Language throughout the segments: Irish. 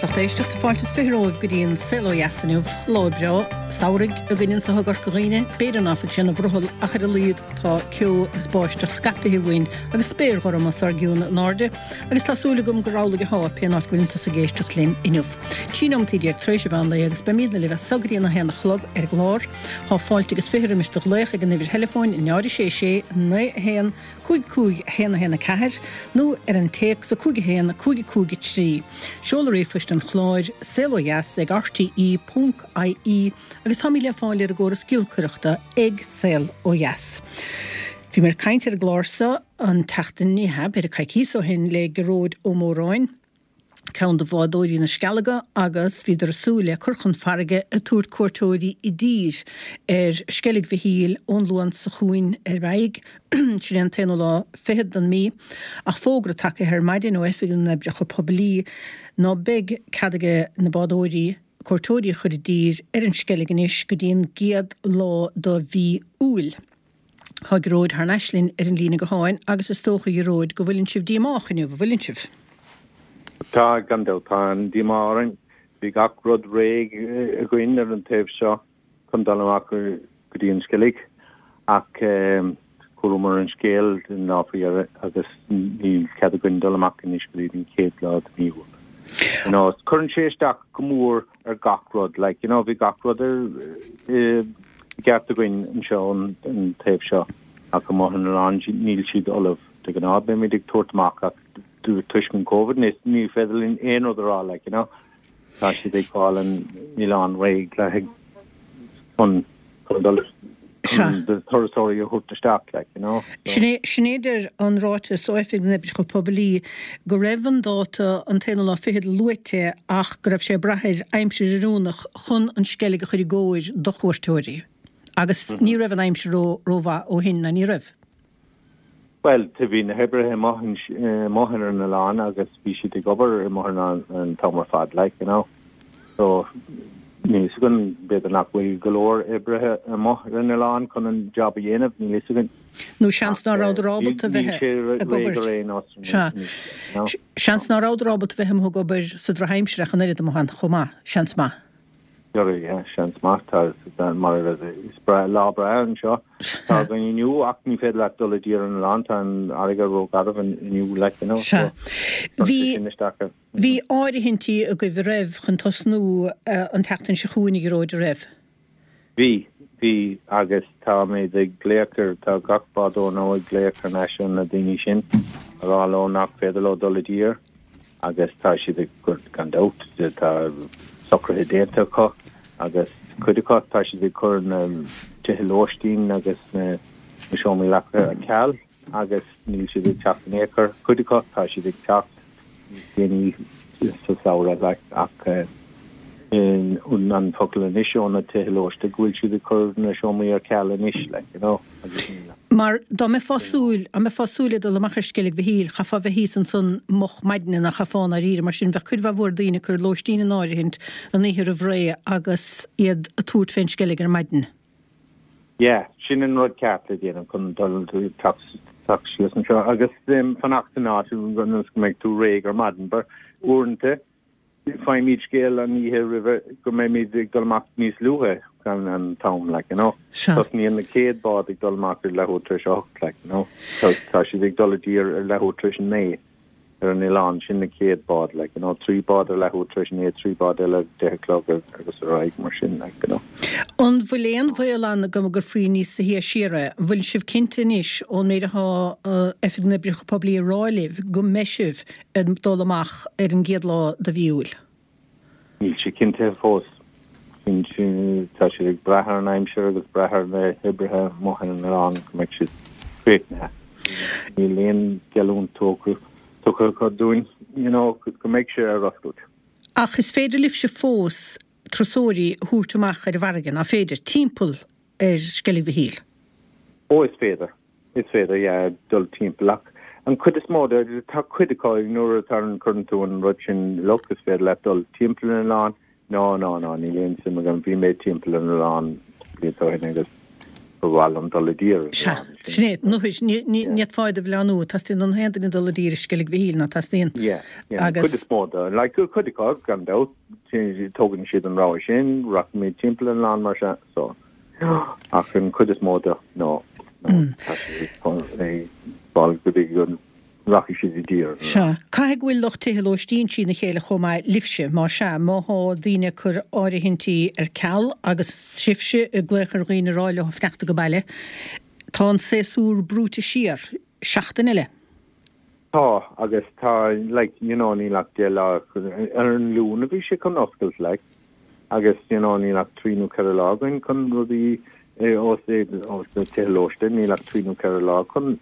agus lucht éisteachta, fáilte is 20 romhaibh go dtí an Saol Ó Dheas inniu. Lá breá samhraidh againn anseo i gCorca Dhuibhne, b'fhéidir ná fuil sé ina bhrothall ach ar a laghad tá ceo agus báisteach scaipithe uainn agus spéir ghorm os ár gcionn in airde agus tá súil agam gur amhlaidh athá pén áit go bhfuileann tusa ag éisteacht linn inniu. 13 nóimeataí tar éis an mheán lae agus beimídne libh as so go dtí an 1 a chlog ar an gclár. Thá fáilte agus 20 roimis do ghlaoch ag an uimhir theileafóin 0 6 6 9 1 5 5 1 1 4 nó ar an téacs 5 1 5 5 3. Seoladh ríomhphoist an chláir, saolodheas ag rte ponc ie agus táimid le fáil ar an gcóras giolcaireachta ag Saol Ó Dheas. Bhí mé ag caint ar an gclár seo an tseachtain, ní hea, b'fhéidir coicíos ó shin le Gearóid Ó Móráin, ceann de bhádóirí na Scealaga agus bhíodar ag súil le cur chun farraige ag tabhairt cuairteoirí i dtír ar Sceilg Mhichíl ón Luan seo chugainn ar aghaidh, sin é an t-aonú lá fichead den mí, ach fógra tagtha ar maidin ó Oifig na nOibreacha Poiblí ná beidh cead aige na bádóirí cuairteoirí a chur i dtír ar an Sceilg anois go dtí an gcéad lá de mhí Iúil. Tá Gearóid thar n-ais linn ar an líne gutháin agus is dócha, a Ghearóid, go bhfuileann sibh díomách inniu, an bhfuileann sibh? Tá, gan dabht. Tá an-díomá orainn. Bhí gach rud réidh againn ar an taobh seo chun dul amach go dtí an Sceilg ach chualamar an scéal an lá faoi dheireadh agus níl cead againn dul amach anois go dtí an chéad lá de mhí Iúil. You know, cuireann sé isteach go mór ar gach rud, like, you know, bhí gach rud ar i gceart againn anseo an taobh seo ach amuigh ar an oileán níl siad ullamh. De ghnáth beimid ag tabhairt amach ach toisc an Covid ní féidir linn aon rud a rá, like, you know. Tá siad ag fáil an oileán réidh le haghaidh chun chun dul chun turasóirí a thabhairt isteach, like, you know. Sin é, sin é a deir an ráiteas ó Oifig na nOibreacha Poiblí go raibh an dáta an t-aonú lá fichead luaite ach go raibh sé ag brath ar aimsir oiriúnach chun an Sceilg a chur i gcóir do chuairteoirí. Agus ní raibh an aimsir ró, rómhaith ó shin, ná ní raibh? Bhuel, bhí na hoibrithe amuigh, amuigh ar an oileán agus bhí siad ag obair amuigh ar an oileán an t-am ar fad, like, you know. So, níl fhios againn, b'fhéidir nach bhfuil go leor oibrithe amuigh ar an oileán chun an job a dhéanamh, níl fhios againn. Nó seans ná rabhadar ábalta bheith ag obair. Sea. Seans ná rabhadar ábalta bheith amuigh ag obair sa drochaimsir ach an oiread amuigh ann chomh maith, seans maith. Yeah, seans maith, tá, mar is breá, lá breá anseo. Tá againn inniu ach ní féidir leat dul i dtír ar an oileán, tá an fharraige rógharbh inniu, like, you know, so, Bhí, bhí áirithintí agaibh an raibh chun tosnú an tseachtain seo chugainn, a Ghearóid, an raibh? Bhí, bhí, agus táimid ag glaoch ar, tá gach bádóir now ag glaoch thar n-ais ar na daoine sin a rá leo nach féidir leo dul i dtír agus tá siad ag, gan dabht, tá socruithe déanta acu agus cuid acu, tá siad ag cur na tithe lóistín agus na seomraí leapa ar ceal. agus níl siad ag teacht in aon chor. Cuid acu, tá siad ag teacht níos déanaí sa samhradh like ach an focal anois ó na tithe lóiste go bhfuil siad ag cur na seomraí ar ceal anois like, you know, agus níl. Mar dá mbeifeá súil, dá mbeifeá súil ag dul amach ar Sceilg Mhichíl, chaithfeá bheith thíos ansan moch maidne nach chaithfeá i ndáiríre, mar sin bheadh cuid mhaith mhór daoine ag cur lóistín in áirithint an oíche roimh ré agus iad ag tabhairt fén Sceilg ar maidin. Yeah, sin an rud ceart le déanamh chun dul teacht síos anseo agus fanacht san áit ionas go mbeidh tú réidh ar maidin. But uaireanta faighimid scéal an oíche roimhe go mbeimid ag dul amach níos luaithe gan an t-am, like, you know. Tosnaíonn na chéad bád ag dul amach ar leathuair tar éis a hocht, like, you know. Tá siad ag dul i dtír ar leathuair tar éis a naoi. ar an oileán, sin na chéad bád, like, you know, trí bád ar leathuair tar éis a naoi, trí bád eile ar deich a chlog agus ar aghaidh mar sin, like, you know. An bhfuil aon bhaol ann go gcuirfí níos sia siar é? An bhfuil sibh cinnte anois ón méid atá Oifig na nOibreacha Poiblí ag rá libh go mbeidh sibh ag dul amach ar an gcéad lá de mhí Iúil? Níl sé cinntithe fós. Tá siad ag brath ar an aimsir agus brath ar na hoibrithe amuigh ar an oileán go mbeidh siad críochnaithe. Níl aon gheallúint tugtha acu dúinn you know go mbeidh sé ar oscailt. Ach is féidir libhse fós turasóirí a thabhairt amach ar an bhfarraige, nach féidir, timpeall ar Sceilg Mhichíl? Ó is féidir. Is féidir, yeah, dul timpeall ach an chuid is mó de, tá cuid acu nuair atá an, cuireann tú an rud sin, look, is féidir leat dul timpeall ar an oileán, no, no, no, níl aon suim agam, bhí mé timpeall ar an oileán blianta ó shin agus. Ba mhaith liom dul i dtír ar an Sea, oileán sin. Sin é. Ní, ní, ní fhéadfá iad a mhilleánú. Teastaíonn ó na haon duine dul i dtír i Sceilg Mhichíl, ná teastaíonn? Yeah, yeah. An chuid is mó de. Like, cuid acu, gan dabht, tógann siad an rogha sin, rachaimid timpeall an oileán mar sea, so. Ach an chuid is mó de, no, no, tá siad ag fáil go dtí go rachaidh siad i dtír. Sea. Caithfidh go bhfuil lucht tithe lóistín trína chéile chomh maith libhse. Má sea, má thá daoine ag cur áirithintí ar ceal agus sibhse ag glaoch ar dhaoine ag rá leo fanacht ag baile, tá an séasúr brúite siar seachtain eile. Tá, agus tá, like, you know, níl ach 10 lá, ar an Luan a bhí sé chun oscailt, like, agus, you know, níl ach trí nó ceithre lá againn chun rudaí, ós na tithe lóistín, níl ach trí nó ceithre lá chun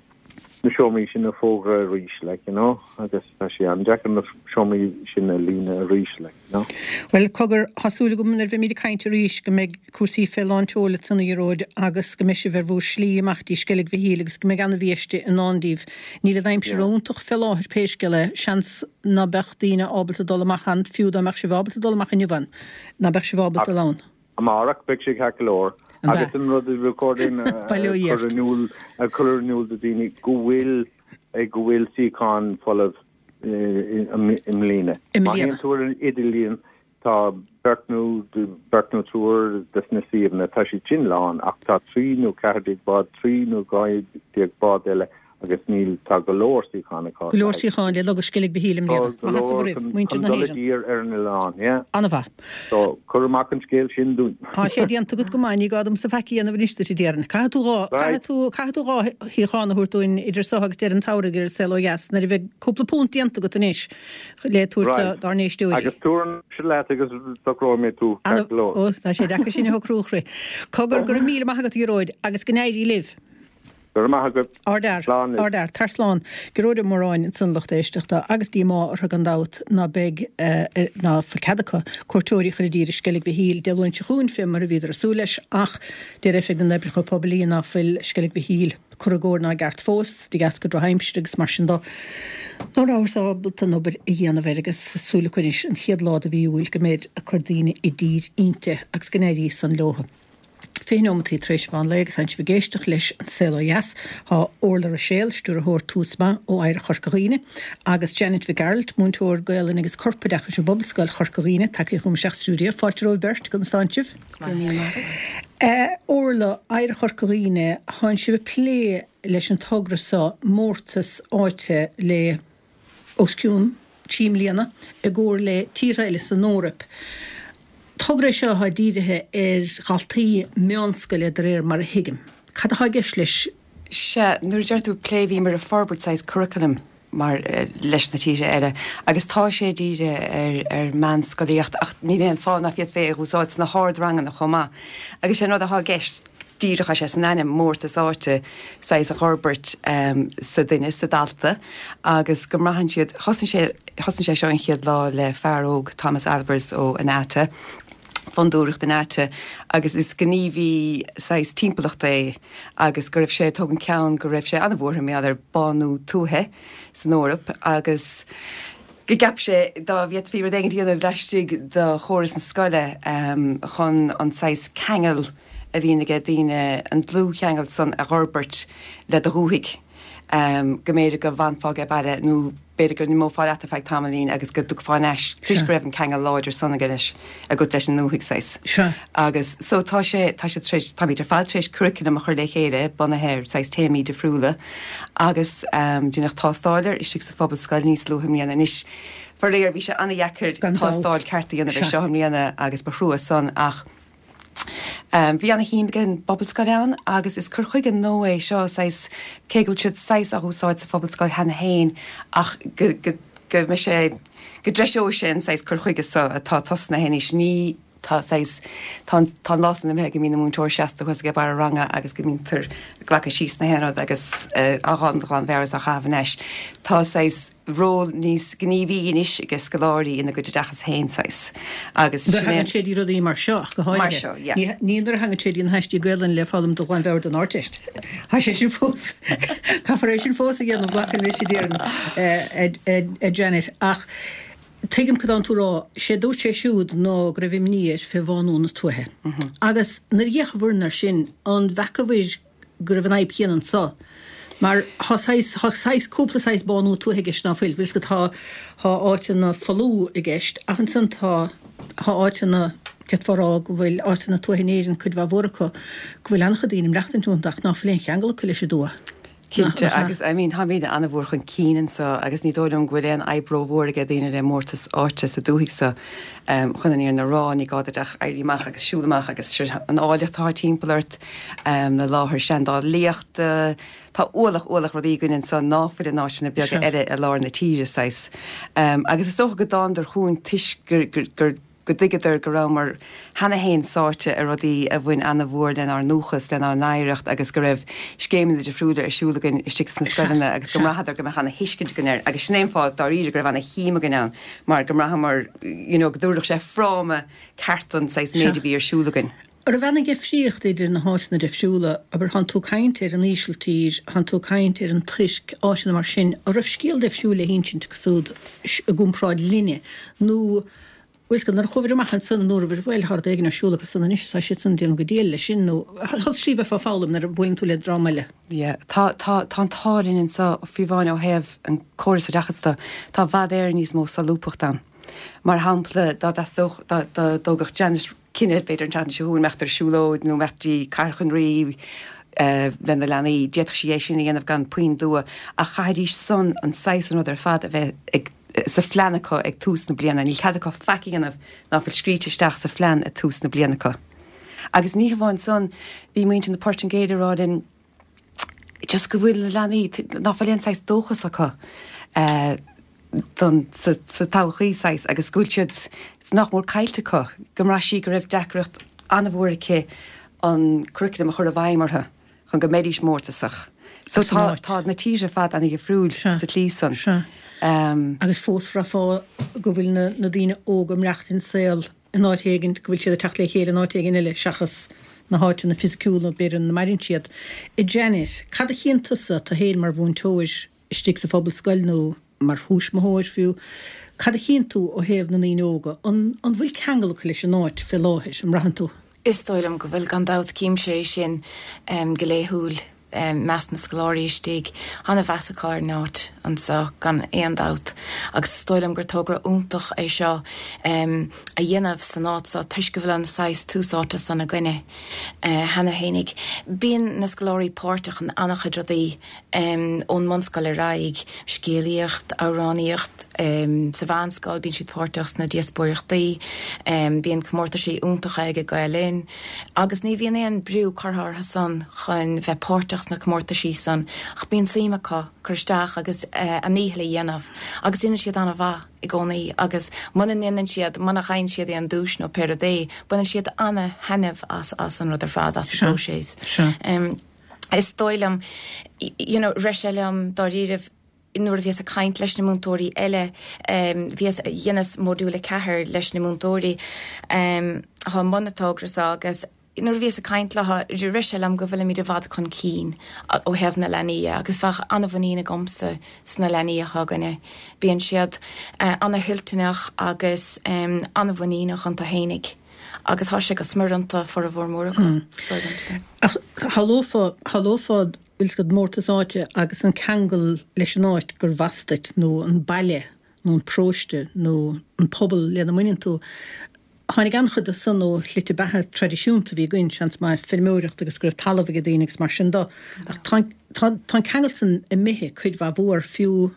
na seomraí sin a fógra arís, like, you know, agus tá sé an-deacair na seomraí sin a líonadh arís, like, you know. Bhuel, cogar, tá súil agam nuair a bheimid ag caint arís go mbeidh cúrsaí fé lán tseoil ansan a Ghearóid agus go mbeidh sibh ar bhur slí amach dtí Sceilg Mhichíl agus go mbeidh ana-bhiaiste i ndán daoibh. Níl an aimsir iontach fé láthair pé scéal é, seans ná beadh daoine ábalta dul amach ann, fiú dá mbeadh sibh ábalta dul amach inniu ann, ná beadh sibh ábalta dul ann. Amárach beidh sé ceart go leor. Agus an rud a ba chóir dúinn a chur in iúl a chur in iúl do dhaoine go bhfuil go bhfuil suíocháin folamh i mbliana. Má théann tú ar an idirlíon tá beirt nó beirt nó triúr des na suíomhanna tá siad sin lán ach tá 13 nó 14 bád, 13 nó 12 bád eile Agus níl, tá go leor suíochán acu. Go leor suíochán le logadh Sceilg Mhichíl i mbliana. Tá go leor chun dul i dtír ar an oileán, yeah. An-mhaith. So, cuir amach an scéal sin dúinn. Tá sé déanta agat go maith, ní gá domsa faic a dhéanamh anois duit, a déarfainn. Caithfidh tú dhá, caithfidh tú, caithfidh tú dhá shuíochán a thabhairt dúinn idir so agus deireadh an tsamhraidh ar an Saol Ó Dheas, nuair a bheidh cúpla punt déanta agat anois le tabhairt dár n-éisteoirí. Agus tabhair leat agus socróidh mé tú, ceart go leor. Ó, tá sé deacair sin a shocrú, a chroí. Cogar, go raibh míle maith agat, a Ghearóid, agus go n-éirí libh. Go raibh maith agat. Ardfhear. Slán libh. Ardfhear. Tar slán. Gearóid Ó Móráin ansan lucht éisteachta agus díomá orthu gan dabht ná beidh, ná fuil cead acu cuairteoirí a chur i dtír i Sceilg Mhichíl Dé Luain seo chugainn fé mar a bhíodar ag súil leis ach deir Oifig na nOibreacha Poiblí ná fuil Sceilg Mhichíl curtha i gcóir ná i gceart fós de dheasca drochaimsire agus mar sin do. Ná rabhthas ábalta an obair a dhéanamh air agus súil acu anois an chéad lá de mhí Iúil go mbeid ag cur daoine i dtír inti agus go n-éirí san leothu. 20 neomataí tar éis an mheán lae agus tánn sibh ag éisteacht leis An Saol Ó Dheas. Tá Orla Ruiséal, Stiúrthóir Tús Maith ó Oidhreacht Chorca Dhuibhne, agus Janet Mhic Gearailt, Múinteoir Gaolainne agus Corpoideachais i bPobalscoil Chorca Dhuibhne, tagtha chugam isteach sa stiúideo. Fáilte romhaibh beirt, conas tánn sibh? Go raibh míle maith agat. Orla, Oidhreacht Chorca Dhuibhne, tánn sibh ag plé leis an togra seo, Mórtas Áite le. os cionn 3 mbliana, i gcomhar le tíortha eile san Eoraip. Togra é seo atá dírithe ar dhaltaí meánscoile de réir mar a thuigim. Cad atá i gceist leis? Sea, nuair a deir tú plé, bhíomar ag forbairt saghas curaclaim mar leis na tíortha eile agus tá sé dírithe ar ar meánscolaíocht ach níl aon fáth ná féadfaí é a úsáid sna hardranganna chomh maith. Agus sé an rud atá i gceist, díreach tá sé san ainm, mórtas áite, saghas a dh'fhorbairt sa duine, sa dalta, agus go mbraitheann siad, thosnaigh sé, thosnaigh sé seo an chéad lá le fear óg, Thomas Albers ó An Fhaiche, Fondúireacht An Fhaiche, agus is gníomhaí saghas timpeallachta é agus go raibh sé ag tógaint ceann go raibh sé an-bhuartha mar gheall ar bánú tuaithe san Eoraip agus go gceap sé dá bhféadfaí rud éigin a dhéanamh laistigh de chóras na scoile chun an saghas ceangal a bhíonn aige daoine, an dlúthcheangal san a dh'fhorbairt le do dhúthaigh, go mb'fhéidir go bhfanfá aige baile nó b'fhéidir go n-imeofá leat ar feadh tamaillín agus go dtiocfá thar n-ais toisc go raibh an ceangal láidir san aige leis, agat leis an ndúthaigh saghas. Sea. Agus so tá sé, tá sé tar éis, táimid ar fad tar éis curriculum a chur le chéile bunaithe ar saghas téamaí difriúla agus deineadh tástáil air istigh sa Phobalscoil níos luaithe i mbliana. Anois, faraor, bhí sé an-dheacair tástáil ceart a dhéanamh ar seo i mbliana agus ba thrua san ach bhí ana-shuim ag an bPobalscoil ann agus is cur chuige nua é seo, saghas, cé go bhfuil siad saghas á úsáid sa Phobalscoil cheana féin ach go, go, go mbeidh sé, go dtreiseoidh sé an saghas cur chuige seo atá tosnaithe anois. Ní, tá saghas, tá an, tá an lá san imithe go mbíonn an múinteoir seasta thuas ag barr an ranga agus go mbítear ag glacadh síos na haon rud agus á dhán de ghlanmheabhair is á chaitheamh anois. Tá saghas ról níos gníomhaí anois ag scoláirí ina gcuid oideachas féin saghas agus Nuair a sin é thagann sé dtí rudaí mar seo ach go háirithe. Mar seo, yeah. Ní, ní nuair a thagann sé dtí na haistí Gaelainne le foghlaim de ghlanmheabhair don Ardteist. Tá sé sin fós, caithfear é sin fós a dhéanamh, glacaim leis a déarfainn, a Janet. Ach. Tuigim cad tánn tú a rá. Sé dúirt sé siúd ná go raibh imní air fé bhánú na tuaithe. Agus nuair a d'fhéachabhair air sin, an bhfeacabhair go raibh an fhadhb chéanna anso? Mar thá saghas, thá saghas, cúpla saghas bánú tuaithe i gceist ná fuil? Bhfuil 's agat, thá, thá áiteanna folmha i gceist ach ansan tá, thá áiteanna, d'fhéadfá a rá go bhfuil áiteanna tuaithe in Éirinn, cuid mhaith mhór acu, go bhfuil an-chuid daoine ag maireachtaint iontu ach ná fuil aon cheangal acu leis an dtuath. Cinnte, agus I mean táimid an-mhór chun cinn anso agus ní dóigh liom go bhfuil aon fhadhb rómhór ag daoine le mórtas áite sa dúthaigh so chun an fhírinne a rá, ní gá duit ach éirí amach agus siúl amach agus sure an áilleacht atá timpeall ort, na láthair seandálaíochta, tá ualach ualach rudaí againn anso ná fuil in áiteanna beaga eile i lár na tíre saghas. Agus is dócha go dtánadar chugainn toisc gur gur go dtuigeadar go rabhamar cheana féin sáite i rudaí a bhain ana-mhór lenár ndúchas, lenár n-oidhreacht agus go raibh scéimeanna difriúla ar siúl againn istigh sna scoileanna agus go mbraitheadar go mbeadh ana-thuiscint againn air agus sin é an fáth dáiríre go raibh ana-shuim againn ann mar go mbraitheamar you know go dtabharfadh sé fráma ceart don saghas méid a bhí ar siúl againn. An raibh aon difríocht idir na háiteanna difriúla, abair, thánn tú ag caint ar an Ísiltír, thánn tú ag caint ar an Tuirc, áiteanna mar sin, an raibh scéal difriúil le hinsint acu siúd i gcomparáid linne, nó, bhfuil 's agat, nuair a chuabhair amach ansan an dúrabhair, bhuel, tá rud éigin ar siúl acu san anois, tá siad san ag déanamh go diail leis sin, nó tá slí bheifeá ag foghlaim nuair a bhuaileann tú le dream eile. Yeah, tá, tá, tá an t-ádh linn anso, fiú amháin ó thaobh an córas oideachais de, tá i bhfad Éireann níos mó solúbthacht ann. Mar shampla, dá dteastódh, dá, dá dtógfadh Janet cinneadh, b'fhéidir an tseachtain seo chugainn, imeacht ar siúlóid nó imeacht dtí Cathair an Rí lena leanaí, d'fhéadfadh sí é sin a dhéanamh gan puinn dua, ach chaithfidís san an saghas an rud ar fad a bheith ag, sa phlean acu ag tús na bliana. Níl cead acu faic a dhéanamh ná fuil scríte isteach sa phlean ag tús na bliana acu. Agus ní hamháin san, bhí muintir na Portaingéile ag rá linn just go bhfuil na leanaí, ná fuil aon saghas dóchas acu don, sa, sa todhchaí saghas agus go bhfuil siad, nach mór caillte acu, go mbraith sí go raibh deacracht an-mhór aici an curriculum a chur i bhfeidhm orthu. chun go mbeidís mórtasach. So tá, tá na tíortha ar fad ana-dhifriúil sa tslí san. Sea. Agus fós bhraithfeá go bhfuil na, na daoine óga ag maireachtaint saol in áit éigin, go bhfuil siad ag teacht le chéile in áit éigin eile seachas na háiteanna fisiciúla b'fhéidir ina maireann siad. A Janet, cad a chíonn tusa, tu fhéin mar mhúinteoir istigh sa phobalscoil nó mar thuismitheoir fiú, cad a chíonn tú ó thaobh na ndaoine óga? An, an bhfuil ceangal acu leis an áit fé láthair, an mbraitheann tú? Is dóigh liom go bhfuil, gan dabht. Címse é sin go laethúil i measc na scoláirí istigh. Ana-mheas acu ar an áit anseo, gan aon dabht. Agus is dóigh liom gur togra iontach é seo a dhéanamh san áit seo toisc go bhfuil an saghas tús áite san againne cheana fhéinig. Bíonn na scoláirí páirteach in an-chuid rudaí. Ón mbunscoil ar aghaidh, scéalaíocht, amhránaíocht, sa mheánscoil bíonn siad páirteach sna díospóireachtaí, bíonn comórtaisí iontacha ag Gael Linn agus ní bhíonn aon brú curtha orthu san chun bheith páirteach sna comórtaisí san ach bíonn suim acu cur isteach agus a ndícheall a dhéanamh agus déanann siad an-mhaith i gcónaí agus muna ndéanann siad, muna bhfaigheann siad aon duais nó pé rud é, baineann siad ana-thaitneamh as as an rud ar fad, as an bpróiseas. Is dóigh liom, you know, rith sé liom dáiríribh nuair a bhíos ag caint leis na múinteoirí eile, bhíos, dheineas modúl 4 leis na múinteoirí atá i mbun an togra seo agus nuair a bhíos ag caint leo, rith sé liom go bhfuilimid i bhfad chun cinn ó thaobh na leanaí dhe agus bheadh an-mhuinín agamsa sna leanaí atá againne. Bíonn siad ana-thoilteanach agus an-mhuiníneach iontu fhéinig. Agus thá sé go smior iontu, formhór mór acu, is dóigh liomsa. Ach shamhlófá, shamhlófá, bhfuil 's agat, mórtas áite agus an ceangal leis an áit gurbh as duit, nó an baile, nó an paróiste, nó an pobal lena mbaineann tú. Tháinig an-chuid de san ó shlite beatha traidisiúnta a bhí againn, seans maith, feirmeoireacht agus go raibh talamh ag daoine agus mar sin de. Ach tá, tá, tá an ceangal san imithe cuid mhaith mhór, fiú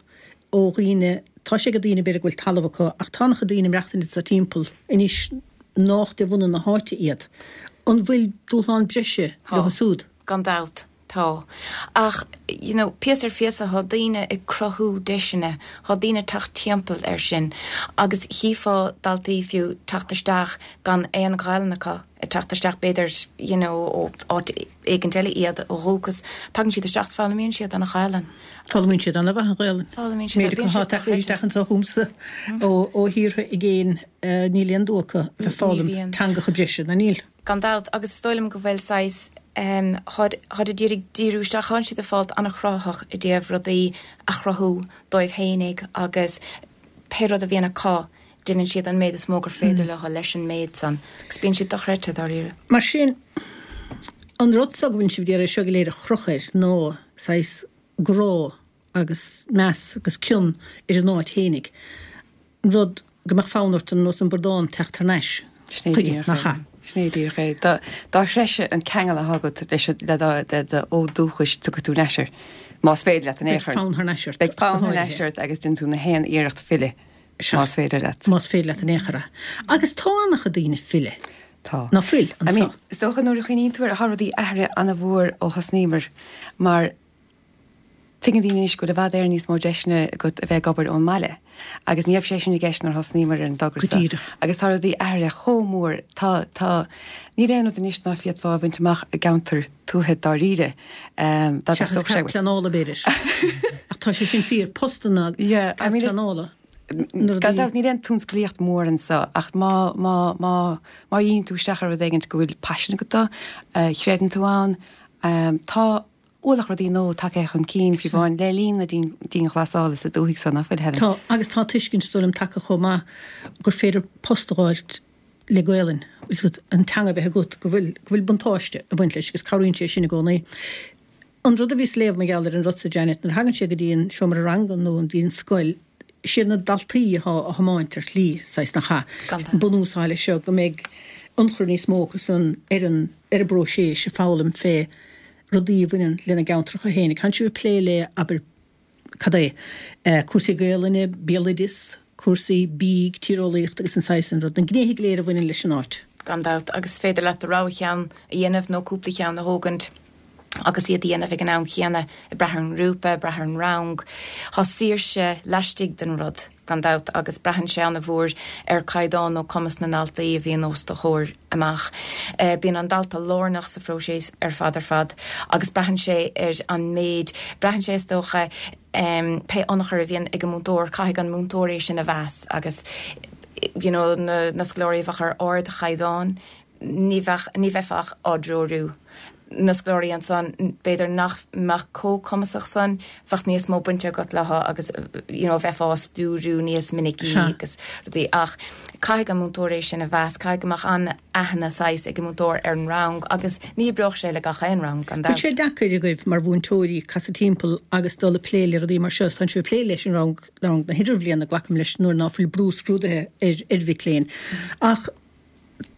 ó dhaoine, tá sé ag daoine b'fhéidir go bhfuil talamh acu ach tá an-chuid daoine ag maireachtaint anso timpeall anois nách de bhunadh na háite iad. An bhfuil dúshlán breise leo siúd? Gan dabht, tá. Ach, you know, píosa ar phíosa tá daoine ag cruthú deiseanna, tá daoine ag teacht timpeall air sin agus chífeá daltaí fiú teacht isteach gan aon Ghaelainn acu, ag teacht isteach b'fhéidir, you know, ó áit éigint eile iad ó dhúchas, tagann siad isteach 's foghlaimíonn siad an Ghaelainn. Foghlaimíonn siad an-mhaith an Ghaelainn. Foghlaimíonn siad. Méid acu atá tagtha isteach anseo chugamsa ó thíortha i gcéin, níl aon dua acu a bheith ag foghlaim teangacha breise, ná níl? Gan dabht, agus is dóigh liom go bhfuil saghas, táid ag iarraidh díriú isteach, tánn siad ag fáilt an-chruthaitheach i dtaobh rudaí a chruthú dóibh fhéinig agus. pé rud a bhíonn acu, déanann siad an méid is mó gur féidir leo leis an méid san agus bíonn siad dochreidte, dáiríre. Mar sin, an rud so go bhfuil sibh d'iarraidh seo go léir a chrochadh air ná saghas grá agus meas agus cion ar an áit fhéinig, an rud go mbeadh fonn ort ar nós an bradán teacht thar n-ais chuige, nach ea? Sin é díreach é. Dá threise an ceangal atá agat leis an, le do fhód dúchais, tiocfaidh tú thar n-ais air, más féidir leat in aon chor. Beidh fonn thar n-ais ort. Beidh fonn thar n-ais ort agus déanfaidh tú na haon iarracht filleadh, más féidir leat. Más féidir leat in aon chor é. Agus tá an-chuid daoine ag filleadh. Tá. Ná fuil, anseo. I mean, is dócha nuair a chuimhníonn tú air, tá rudaí athraithe an-mhór ó thosnaíomar mar, Tuigeann daoine anois go bhfuil i bhfad Éireann níos mó deiseanna agat a bheith ag obair ón mbaile agus ní raibh sé sin i gceist nuair a thosnaíomar ar an dtogra Go seo. díreach. Agus tá rudaí athraithe chomh mór, tá, tá, níl aon rud anois ná féadfá a bhaint amach i gceantar tuaithe dáiríre, dá Seachas dteastódh sé cead uait. pleanála b'fhéidir. Ach tá sé sin fíor, postanna, Yeah, I cead mean is, pleanála, na gan rudaí. dabht níl aon tionsclaíocht mhór anseo ach má, má, má, má dhíríonn tú isteach ar rud éigint go bhfuil paisean agat dó, a chreideann tú ann, tá, ualach rudaí nua tagtha chun cinn, fiú amháin le linn na dianghlasála sa dúthaigh so, ná fuil, Helen? Tá, agus tá tuiscint, is dóigh liom, tagtha chomh maith gur féidir post a dh'fháilt le Gaelainn, agus an teanga a bheith agat, go bhfuil, go bhfuil buntáiste ag baint leis agus cabhraíonn sé sin i gcónaí. An rud a bhíos a léamh mar gheall ar an rud so, Janet, nuair a thagann sé go dtí an seomra ranga nó go dtí an scoil, siad na daltaí atá á thiomáint ar shlí, saghas, nach ea? Gan dabht. Bunús atá leis seo go mbeidh ionchur níos mó acu san ar an, ar an bpróiseas ag foghlaim fé rudaí a bhaineann lena gceantracha féinig. Tánn sibh ag plé le, abair, cad é, cúrsaí Gaelainne, béaloideas, cúrsaí bídh, tíreolaíocht agus an saghas sin rud, na gnéithe go léir a bhaineann leis an áit. Gan dabht, agus is féidir leat do rogha cheann a dhéanamh nó cúpla ceann a thógaint agus iad a dhéanamh ag an am chéanna, ag brath ar an ngrúpa, ag brath ar an rang. Tá saoirse laistigh den rud. gan dabht, agus braitheann sé ana-mhór ar caighdeán nó cumas na ndaltaí a bhíonn os do chomhair amach. Bíonn an dalta lárnach sa phróiseas ar fad ar fad agus braitheann sé ar an méid, braitheann sé is dócha pé ionchur a bhíonn ag an múinteoir, caithfidh an múinteoir é sin a mheas agus you know na scoláirí a bheadh ar ardchaighdeán, ní bheadh, ní bheifeá ach á dtreorú. Na scoláirí ansan, b'fhéidir nach mbeadh chomh cumasach san, bheadh níos mó bainte agat leo agus you know bheifeá á stiúriú níos minicí agus rudaí ach caithfidh an múinteoir é sin a mheas, caithfidh go mbeadh an-aithne saghas ag an múinteoir ar an rang agus ní oibreodh sé le gach aon rang, gan dabht. Bhfuil sé deacair agaibh mar mhúinteoirí casadh timpeall agus dul ag plé le rudaí mar seo? Tánn sibh ag plé leis an rang, rang na hidirbhliana, glacaim leis, nuair ná fuil brú scrúduithe ar ar mhic léinn ach,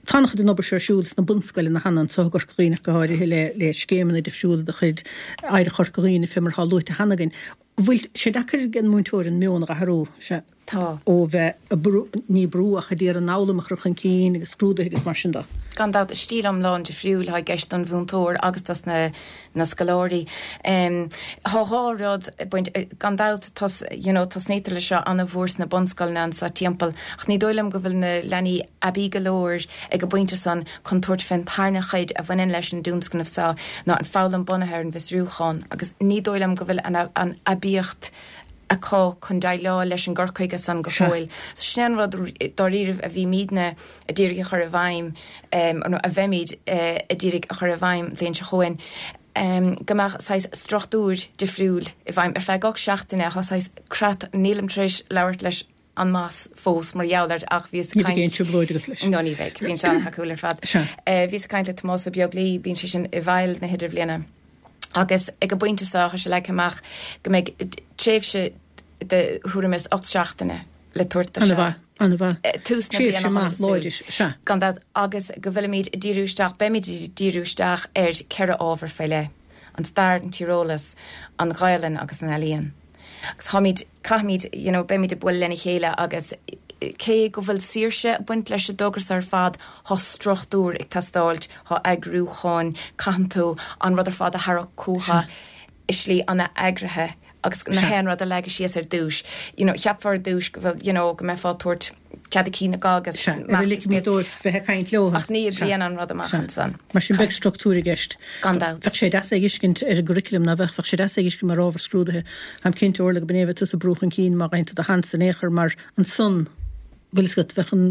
Tá an-chuid den obair seo ar siúl sna bunscoileanna cheana anso i gCorca Dhuibhne ach go háirithe le le scéimeanna difriúla de chuid Oidhreacht Chorca Dhuibhne fé mar atá luaite cheana againn. Bhfuil sé deacair ag an múinteoir an meon a dh'athrú, sea, Tá. ó bheith ag brú, ní brú ach ag iarraidh an fhoghlaim a chur chun cinn agus scrúduithe agus mar sin de? Gan dabht, stíl iomlán difriúil atá i gceist don mhúinteoir agus dos na na scoláirí. Tá dhá rud ag baint, gan dabht tos, you know, tosnaítear leis seo ana-mhór sna bunscoileanna anso timpeall ach ní dóigh liom go bhfuil na leanaí aibí go leor ag an bpointe san chun tabhairt fén tarna chuid a bhaineann leis an dtionscnamh seo ná an foghlaim bunaithe ar an bhfiosrúchán agus ní dóigh liom go bhfuil an an aibíocht acu chun déileáil leis an gcur chuige san go fóill. So sin é an rud dáiríribh a bhímídne a d'iarraidh a chur i bhfeidhm, nó a bheimid a d'iarraidh a chur i bhfeidhm an bhliain seo chugainn, go mbeadh saghas struchtúr difriúil i bhfeidhm ar feadh gach seachtaine. Tá saghas creat, nílim tar éis labhairt leis an mboss fós mar gheall air ach bhíos ag caint. Ní bheidh aon trioblóid agat leis. No, ní bheidh. Bíonn sé an-thacúil ar fad. Sea. Bhíos ag caint le Tomás Ó Beaglaoi, bíonn sé sin i bhfeighil na hidirbhliana agus ag an bpointe seo tá sé leagtha amach go mbeidh tréimhse de thuairim is 8 seachtaine le tabhairt do seo. An-mhaith, an-mhaith. Tús na bliana Tréimhse maith, láidir, sea. Gan dabht, agus go bhfuilimid ag díriú isteach, beimid ag díriú isteach ar cheithre ábhar faoi leith, an stair, an tíreolas, an Ghaelainn agus an ealaíon. Agus táimid, caithfimid, you know, beimid ag bualadh lena chéile agus cé go bhfuil saoirse ag baint leis an dtogra seo ar fad, tá struchtúr ag teastáilt, tá eagrúchán, caitheann tú an rud ar fad a tharrac chucu i slí an-eagraithe agus na haon rud a leagadh síos ar dtús. You know, cheapfá ar dtús go bhfuil, you know, go mbeifeá ag tabhairt cead a cinn acu agus Sea, ar a ligfimid dóibh bheith ag caint leo. Ach ní oibríonn an rud amach ansan. Mar sin beidh struchtúr i gceist. Gan dabht. Bheadh sé deas é a fheiscint ar an gcurriculum, ná bheadh? Bheadh sé deas é a fheiscint mar ábhar scrúdaithe. Táim cinnte, Orla, go b'in é a bheadh tusa ag brú chun cinn má fhaigheann tú do sheans in aon chor mar ansan, bhfuil fhios agat, bheadh an.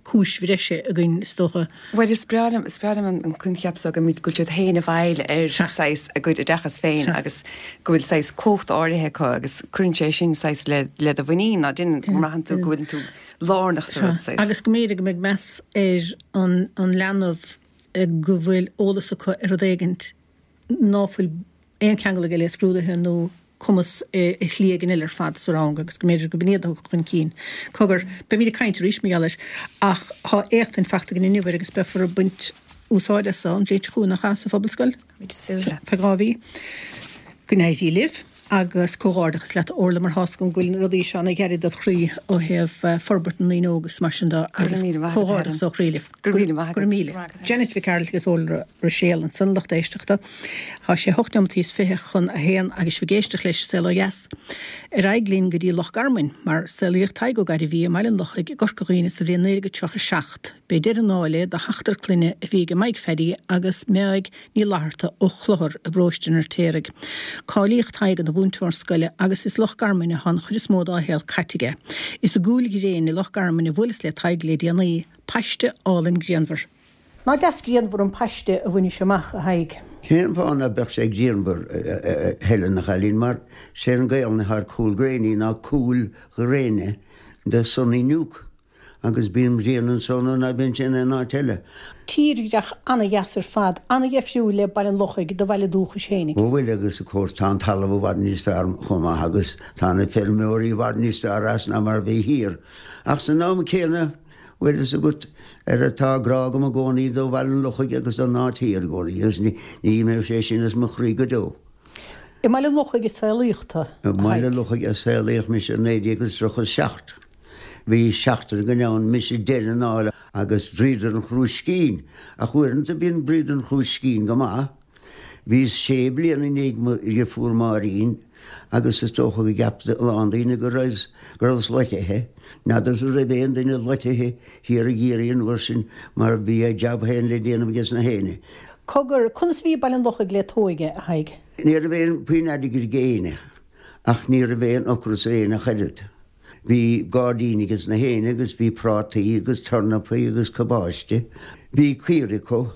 cúis bhreise againn, is dócha. Bhuel, is breá liom, is breá liom an coincheap so go mbíonn, go bhfuil siad féin i bhfeighil ar saghas a gcuid oideachas féin agus go bhfuil saghas cumhacht áirithe acu agus cuireann sé sin saghas le, le do mhuinín, ná déanann, go mbraitheann tú go bhfuileann tú lárnach sa rud, saghas. Agus go mb'fhéidir go mbeidh meas ar an, an leanbh go bhfuil eolas acu ar rud éigint ná fuil aon cheangal aige le scrúduithe nó cumas i shlí éigin eile ar fad sa rang agus go mb'fhéidir go b'in iad a thiocfadh chun cinn. Cogar, beimid ag caint arís mar gheall air ach tá éachtaint fachta againn inniu air agus beifear ag baint úsáid as an bhliain seo chugainn, nach ea, sa Phobalscoil? Táimid ag súil. Feadh 2 mhí. Go n-éirí libh agus comhghairdeachas leat a Orla mar tá's agam go bhfuil na rudaí seo ana ghar dod chroí ó thaobh forbairt na ndaoine óga agus mar sin de agus comhghairdeachas ó chroí libh. Go raibh míle maith agat. Go raibh míle. Janet Mhic Gearailt agus Orla Ruiséal ansan, lucht éisteachta. Tá sé hocht neomataí is 20 chun a haon agus sibh ag éisteacht leis an Saol Ó Dheas. Ar aghaidh linn go dtí Loch Garman, mar saolaíodh Tadhg Ó Gairbhí i mBaile an Lochaigh i gCorca Dhuibhne sa bhliain 1937. B'é deireadh an áil é do sheachtar clainne a bhí aige Maidhc Pheaidí agus Meáig Ní Fhlatharta ó Chlochar i bparóiste an Fheirtéaraigh. Cáilíodh Tadhg ina mhúinteoir scoile agus is i Loch Garman atá an chuid is mó dá shaol caite aige. Is i gCúil Ghréine i Loch Garman a bhuaileas le Tadhg le déanaí, paiste álainn grianmhar. Nach deas grianmhar an paiste a bhainis amach, a Thaidhg? Cén fáth ná beadh sé grianmhar, a Helen, a chailín, mar sé an Gaelainn atá ar Cúl Gréine ná Cúil Ghréine, the sunny nook. Agus bíonn grian anso nuair ná bíonn sé in aon áit eile. Tírdhreach ana-dheas ar fad, ana-dheifriúil le Baile an Lochaigh, do bhaile dúchais fhéinig. Ó bhuel agus of course tá an talamh i bhfad níos fearr chomh maith agus tá na feirmeoirí i bhfad níos fearr as ná mar a bhí thiar. Ach san am céanna, bhfuil fhios agat, ar tá grá agam i gcónaí do Bhaile an Lochaigh agus don áit thiar i gcónaí agus ní imeoidh sé sin as mo chroí go deo. I mBaile an Lochaigh a saolaíodh tú, a I mBaile an Lochaigh a saolaíodh mise i 1937. Bhí seachtar againn ann, mise deireadh an áil agus dríodar an chrúiscín. Ach uaireanta bíonn dríodar an chrúiscín go maith. Bhíos sé bliana i ndiaidh mo dhriofúr Máirín agus is dócha go gceap a lán daoine go raibh go rabhas loitithe. N'fheadarsa an raibh aon duine loitithe thiar i gCiarraí an uair sin mar bhí a jab féin le déanamh ages na héinne. Cogar, conas a bhí Baile an Lochaigh le t'óige, a Thaidhg? Ní raibh aon puinn airgid ag éinne ach ní raibh aon ocras ar éinne ach oiread. Bhí gairdín ages na héinne agus bhí prátaí agus tornapaí agus cabáiste. Bhí caoirigh acu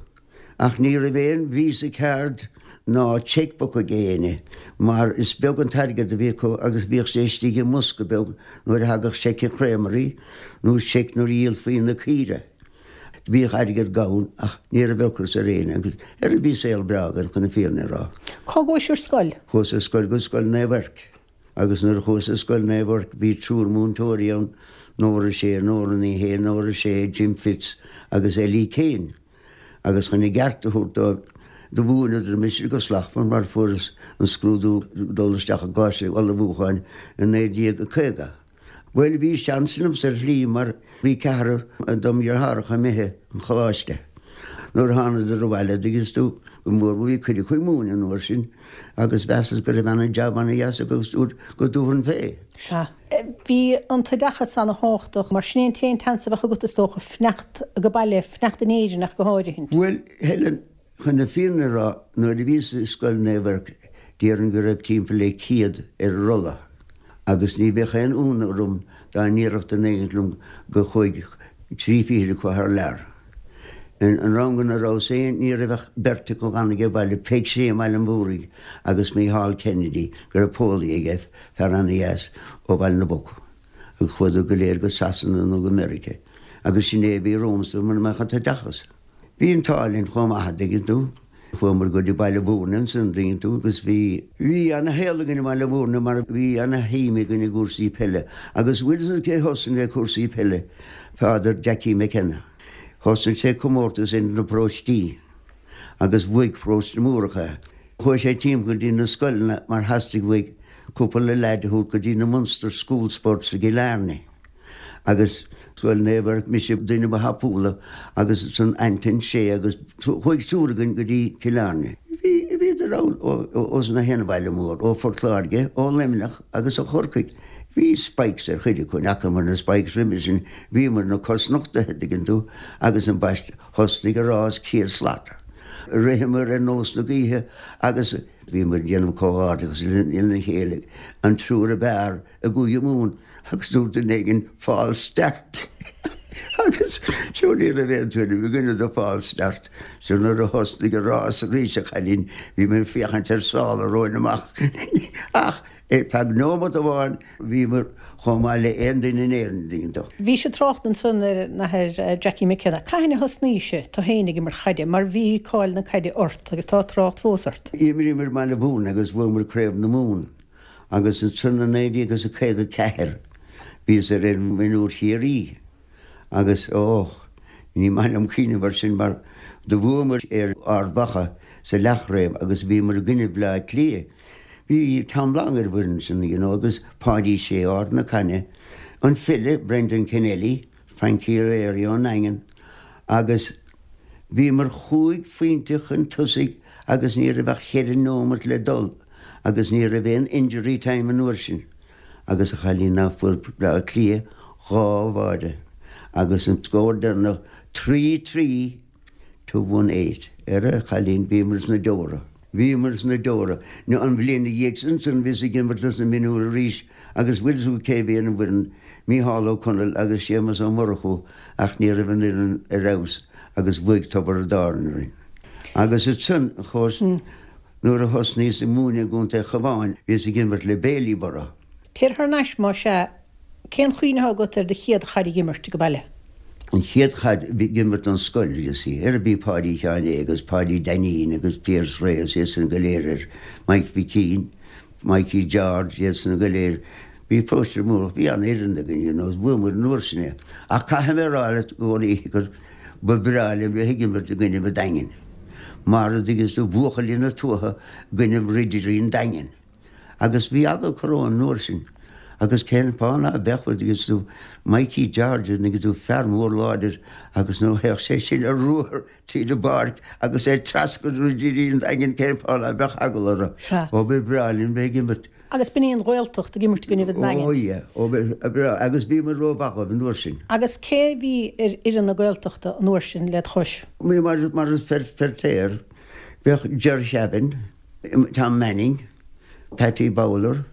ach ní raibh aon Visa card ná cheque book ag éinne mar is beag an t-airgead a bhí acu agus bhíodh sé istigh i mbosca beag nuair a thagadh seic an chréamairí nó seic nuair a dhíolfaí na caoire. Bhíodh airgead gann ach ní raibh ocras ar éinne agus ar bhí saol breá againn chun na fírinne a rá. Cá gcuais ar scoil? Chuas ar scoil go Scoil Naomh Eirc. Agus nuair a chuas ar Scoil Naomh Eirc bhí triúr múinteoirí ann, Nóra Sé, Nóra Ní Shé, Nóra Sé, Jim Fitz agus Ellie Keane. Agus chun a gceart a thabhairt dóibh, do mhúineadar mise go slachtmhar mar fuaireas an scrúdú dul isteach i gColáiste Ullmhúcháin i 1950. Bhuel, bhí seans liomsa ar shlí mar bhí ceathrar dom dheartháireacha imithe chun choláiste. Nuair a thánadar abhaile, dtuigeanns tú, go mór bhí cuid acu ag múineadh an uair sin agus mheasas go raibh ana-jab ana-dheas acu agus dúirt go dtabharfainn fé. Sea. Bhí an t-oideachas ana-thábhachtach mar sin é an t-aon tseans a bheadh agat is dócha fanacht ag baile, fanacht in Éirinn ach go háirithint. Bhuel, Helen, Chun na fírinne a rá, nuair a bhíos i Scoil Naomh Eirc, déarfainn go raibh timpeall le 100 ar an rolla, agus ní bheadh aon ionadh orm dá ndéarfadh duine éigint liom gur chuaigh 30 acu thar lear. An rang ina rabhas féin, ní raibh ach beirt acu a d'fhan age baile, Peig Sé i mBaile an Mhúraigh agus Mícheál Kennedy, go raibh póilí aige, fear ana-dheas ó Bhaile na bPoc, agus chuadar go léir go Sasana nó go Meiriceá. Agus sin é a bhí romhamsa mura mbeadh an t-oideachas. Bhí an t-ádh linn chomh maith, an dtuigeann tú. Chuamar go dtí Baile Mhúirne ansan, an dtuigeann tú, agus bhí. Bhí ana-shaol againn i mBaile Mhúirne mar bhí ana-shuim againn i gcúrsaí peile. Agus bhfuil fhios agat cé thosaigh le cúrsaí peile? Father Jackie McKenna. Thosaigh sé comórtas idir na paróistí agus bhuaigh Paróiste na Múrach é. Chuaigh sé timpeall go dtí na scoileanna mar theastaigh uaidh cúpla leaid a thabhairt go dtí na Munster School Sports i gCill Airne. Agus Scoil Naomh Eirc, mise duine ba thapúla agus ansan Anton Sé agus chuaigh triúr againn go dtí Cill Airne. Bhí, bhíodar ann ó na haon bhaile mór, ó Phort Láirge, ó Luimneach agus ó Chorcaigh. Bhí spikes ar chuid acu, ní fhacamar na spikes roimhe sin, bhíomar na cosnochtaithe, dtuigeann tú, agus ambaiste, thosnaigh an rás céad slat. Ritheamar ar nós na gaoithe agus bhíomar ag déanamh comhghairdeachas lena chéile, an triúr ab fhearr i gCúige Mumhan agus dúirt duine éigin false start. Agus sure ní raibh aon tuairim againne do false start. So nuair a thosnaigh an rás arís a chailín, bhí mé ag féachaint ar sála romhainn amach. Ach ar feadh nóimeat amháin bhíomar chomh maith le aon duine in Éirinn, an dtuigeann tú. Bhís ag trácht ansan ar an Athair Jackie McKenna. Cathain a thosnaís tú féin ag imirt chaide mar bhí cáil na caide ort agus tá trácht fós ort. D'imríomar i mBaile Mhúirne agus bhuamar Craobh na Mumhan agus ansan i 1954 bhíos ar fhoireann mhionúir Chiarraí. Agus, ó, ní maith liom cuimhneamh ar sin mar do bhuamar ar Ard Mhacha sa leathchraobh agus bhíomar i gcoinne Bhaile Átha Cliath. Bhí Tom Long ar an bhfoireann sin, you know, agus Páidí Sé Ard na Caithne, an file Brendan Kennelly, Frankie O'Leary ón nDaingean agus bhíomar chúig phointe chun tosaigh agus ní raibh ach cheithre nóimeat le dul agus ní raibh aon injury time an uair sin. Agus a chailín ná fuair Bleá Cliath dhá bháide agus an scór deireanach 3 3 to 1 8. Ar a chailín bhíomar sna deora. Bhíomar sna deora. Nó an bhliain ina dhiaidh sin ansan bhíos ag imirt dos na mionúir arís agus bhfuil fhios agat cé bhí ar an bhfoireann, Mícheál Ó Conaill agus Séamus Ó Murchú ach ní raibh an fhoireann ar fheabhas agus bhuaigh Tiobraid Árann orainn. Agus ansan, of course, Nuair a thosnaíos ag múineadh i gContae Chabháin bhíos ag imirt le Bailieborough. Téir thar n-ais, más ea, cén chuimhne atá agat ar do chéad chaid ag imirt ag baile? An chéad chaid ag imirt don scoil, you see. Ar bhí Páidí Sheáin Aodha agus Páidí Dainín agus Pearse Reyes iad san go léir air, Mike Mhic Mikey George iad san go léir. Bhí paróiste mór, bhí an-fhoireann againn, you know, bhuamar an uair sin é. Ach caithfidh mé a rá leat i gcónaí gur ba bhreá liom bheith ag imirt i gcoinnibh an Daingin. Mar a dtuigeanns tú, buachaillí na tuaithe i gcoinnibh ridirí an Daingin. Agus bhí eagla acu romhainn an uair sin. Agus cén fáth ná beadh, a dtuigeanns tú, Mikey George, a dtuigeann tú, fear mór láidir agus nuair a théadh sé sin ar ruathar tríd an bpáirc agus é ag treascairt ridirí an Daingin, cén fáth ná beadh eagla orthu. Sea. Ó ba bhreá linn bheith ag imirt. Agus b'in í an Ghaeltacht ag imirt i gcoinnibh an Daingin. Ó yeah, ó ba bhreá, agus bhíomar rómhaith dhóibh an uair sin. Agus cé bhí ar fhoireann na Gaeltachta an uair sin led chois? Mar mar is Feirtéar, bheadh Ger Sheavin, Tom Manning, Patty Bowler,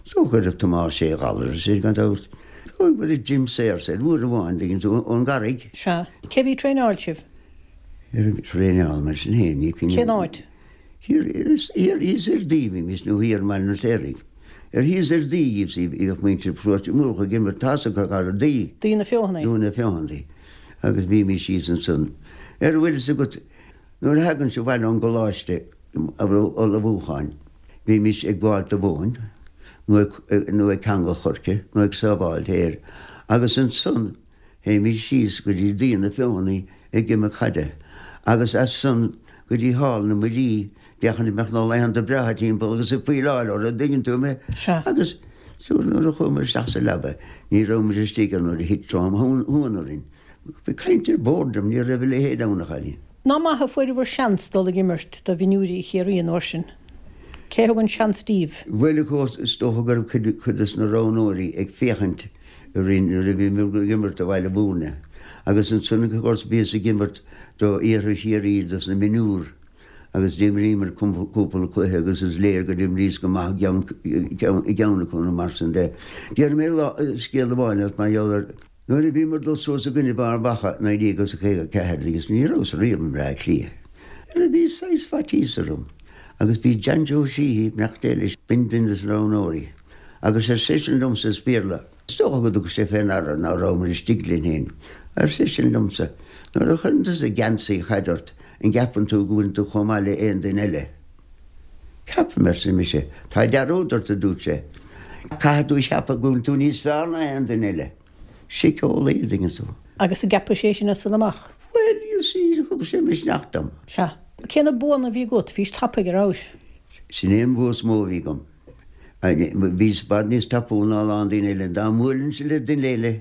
is dócha go raibh Tomás Sé Ghallair is é gan dabht, is dóigh go raibh Jim Sayers air uair amháin, dtuigeann tú, ón gCarraig. Sea. Cé bhí ag traenáil sibh? Traenáil mar sin féin, ní cuimhin. Cén áit? Thiar thíos ar Daoi bhímis nó thiar i mBaile an Fheirtéaraigh. Ar thíos ar Daoi you see bhíodh muintir Pharóiste Múrach ag imirt tá fhios agat ar Daoi. Daoi na Feothanaí. Daoi na Feothanaí. Agus bhímis thíos ansan. Ar bhfuil fhios agat nuair a thagainnse abhaile ón gcoláiste ullmhúcháin bhímis ag gabháil do mhóin nó ag nó ag ceangal choirce nó ag sábháil féir agus ansan Théimís síos go dtí Daoi na Feothanaí ag imirt caide, agus as san go dtí thall na Muirí, féachaint an mbeadh na laethanta breátha timpeall agus ag faoileáil orthu, an dtuigeann tú mé? Sea. Agus so nuair a chuamar isteach sa leaba, ní raibh muid istigh ach nuair a thit trom shuan orainn. Bhí caint ar boredom, ní raibh a leithéid ann, a chailín. Nach maith a fuaireabhair seans dul ag imirt do mhionúirí Chiarraí an uair sin? Cé thug an seans díbh? Bhuel, of course, is dócha go raibh cuid des na roghnóirí ag féachaint orainn nuair a bhíomar ag imirt do Bhaile Mhúirne. Agus ansan of course bhíos ag imirt do Iarthar Chiarraí dos na mionúir agus d'imríomar cúpla cluiche agus is léir gur imríos go maith i gceann acu nó mar sin de. Déarfaidh mé lá scéal amháin leat mar gheall ar nuair a bhíomar ag dul suas i gcoinnibh Ard Mhacha 1954 agus ní rabhas riamh i mBleá Cliath. Bhí saghas faitíos orm agus bhí John Joe Sheehy, beannacht Dé leis, b'in duine des na roghnóirí. Agus ar seisean liomsa as Béarla, Is dócha go dtug sé fé ndeara ná rabhamar istigh linn féin. Ar seisean liomsa, Nuair a chuireann tusa geansaí chaide ort, an gceapann tú go bhfuileann tú chomh maith le aon duine eile? Ceapaim, arsa mise. Tá dearúd ort, a dúirt sé. Caithfidh tú a cheapadh go bhfuil tú níos fearr ná aon duine eile. Síceolaí, a dtuigeann tú. Agus an gceapais é sin as san amach? Bhuel, you see, thug sé misneach dom. Sea. Cé na buanna a bhí agat? Bhís tapaidh, a rabhais? Sin é an bua is mó a bhí agam. Bhíos i bhfad níos tapúla ná a lán daoine eile. Dá mbuailinnse le duine eile